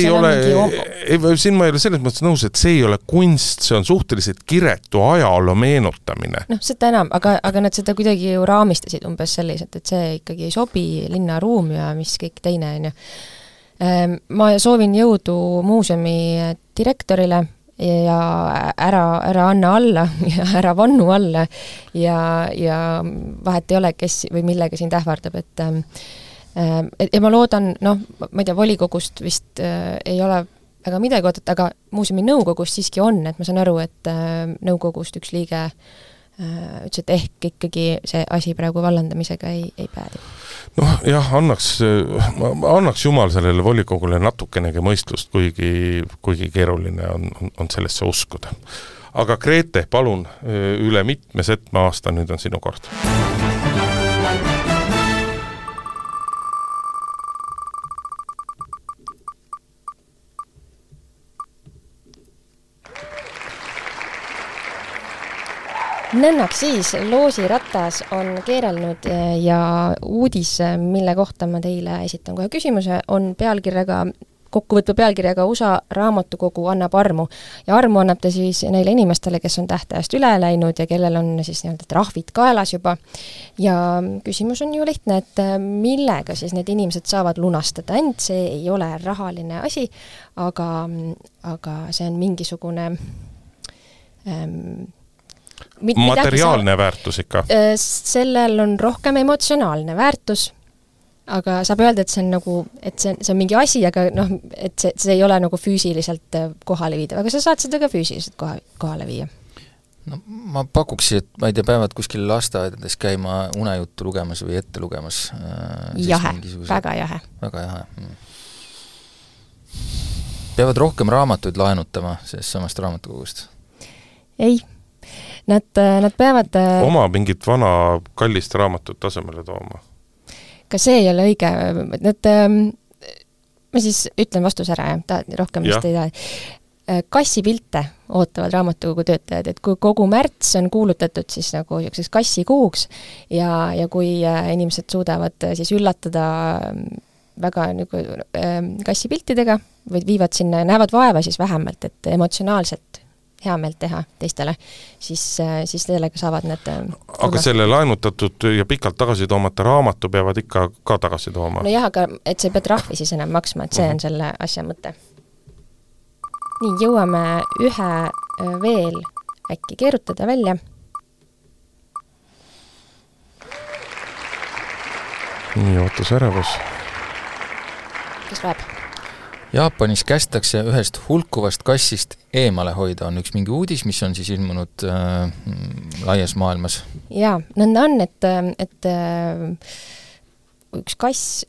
siin ma ei ole selles mõttes nõus, et see ei ole kunst, see on suhteliselt kiretu ajaloo meenutamine. Seda enam, aga nad seda kuidagi ju raamistasid umbes selliselt, et see ikkagi ei sobi linnaruum ja mis kõik teine on ju. Ma soovin jõudu muuseumi direktorile ja ära anna alla ja ära vannu alla ja vahet ei ole, kes või millega sind ähvardab, et ma loodan, ma ei tea, volikogust vist ei ole väga midagi oodata, aga muuseumi nõukogust siiski on, et ma saan aru, et nõukogust üks liige ütles, et ehk ikkagi see asi praegu vallandamisega ei päädi. Jah, annaks jumal sellele volikogule natukenegi mõistlust, kuigi keeruline on sellesse uskuda. Aga Grete, palun, üle mitme setme aasta nüüd on sinu kord. Nõnnaks siis, loosiratas on keerelnud ja uudis, mille kohta ma teile esitan kohe küsimuse, on kokkuvõtva pealkirjaga USA raamatukogu annab armu. Ja armu annab ta siis neile inimestele, kes on tähtajast üle läinud ja kellel on siis nii-öelda trahvid kaelas juba. Ja küsimus on ju lihtne, et millega siis need inimesed saavad lunastada. Ent see ei ole rahaline asi, aga see on mingisugune materiaalne väärtus ikka? Sellel on rohkem emotsionaalne väärtus, aga saab öelda, et see on nagu, et see on mingi asi, aga et see ei ole nagu füüsiliselt kohale viida, aga sa saad seda ka füüsiliselt kohale viia. Ma pakuks, et ma ei tea, päevad kuskil lasteaedades käima unejuttu lugemas või ette lugemas. Jahe, väga jahe. Väga jahe. Peavad rohkem raamatuid laenutama sellest samast raamatukogust? Ei. Nad peavad oma mingit vana kallist raamatut tasemele tooma. Ka see ei ole õige. Ma siis ütlen vastus ära, rohkem vist ei taha. Kassipilte ootavad raamatukogu töötajad, et kui kogu märts on kuulutatud siis nagu kassikuuks ja kui inimesed suudavad siis üllatada väga nagu kassipiltidega või viivad sinna ja näevad vaeva siis vähemalt, et emotsionaalselt hea meelt teha teistele, siis sellega saavad need Aga selle laenutatud ja pikalt tagasi toomata raamatu peavad ikka ka tagasi tooma? No jah, aga et sa ei pea trahvi siis enam maksma, et see on selle asja mõte. Nii, jõuame ühe veel äkki keerutada välja. Nii, ootus ärevus. Kes loeb? Jaapanis kästakse ühest hulkuvast kassist eemale hoida, on üks mingi uudis, mis on siis ilmunud laias maailmas. Jaa, nõnda on, et üks kass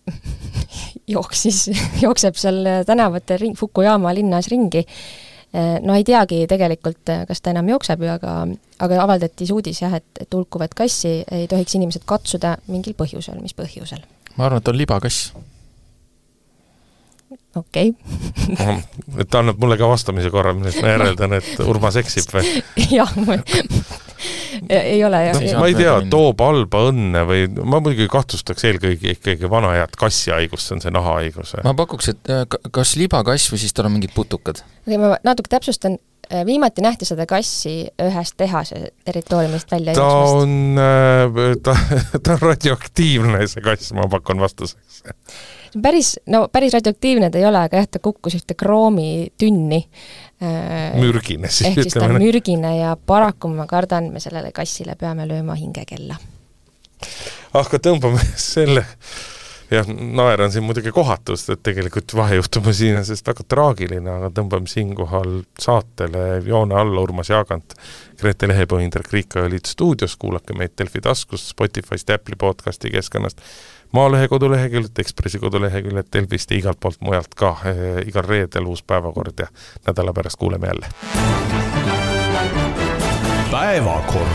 jookseb seal tänavatel Fukuyama linnas ringi. No ei teagi tegelikult, kas ta enam jookseb, aga avaldati uudis, jah, et hulkuvat kassi ei tohiks inimesed katsuda mingil põhjusel. Mis põhjusel? Ma arvan, et on libakass. Okei. Et ta annab mulle ka vastamise korra, millest ma järeldan, et Urmas eksib või? Jah, ei ole. Ma ei tea, toob halba õnne või ma muidugi kahtustaks eelkõige ikkagi vana head kassihaigust, see on see nahahaigus. Ma pakuks, et kas libakass või siis tal on mingid putukad? Ma natuke täpsustan. Viimati nähti seda kassi ühest tehase territooriumist välja jooksmast. Ta on radioaktiivne, see kass, ma pakun vastuseks. Päris radioaktiivne ta ei ole, aga jah, ta kukkus ühte kroomitünni. Mürgine siis. Ehk siis ta on mürgine ja paraku ma kardan, me sellele kassile peame lööma hingekella. Aga tõmbame selle, jah, naeran siin muidugi kohatust, et tegelikult vahejuhtuma siin on sest väga traagiline, aga tõmbame siinkohal saatele joone alla Urmas Jaagant, Grete Lehepõhi, Indrek Riika ja Liit stuudios, kuulake meid Delfi taskust, Spotify'st, Apple'i podcasti keskkonnast, Maalehe koduleheküljed, Ekspressi koduleheküljed, Delfist ja igalt poolt mujalt ka. Igal reedel uus päevakord ja nädala pärast kuuleme jälle. Päevakord.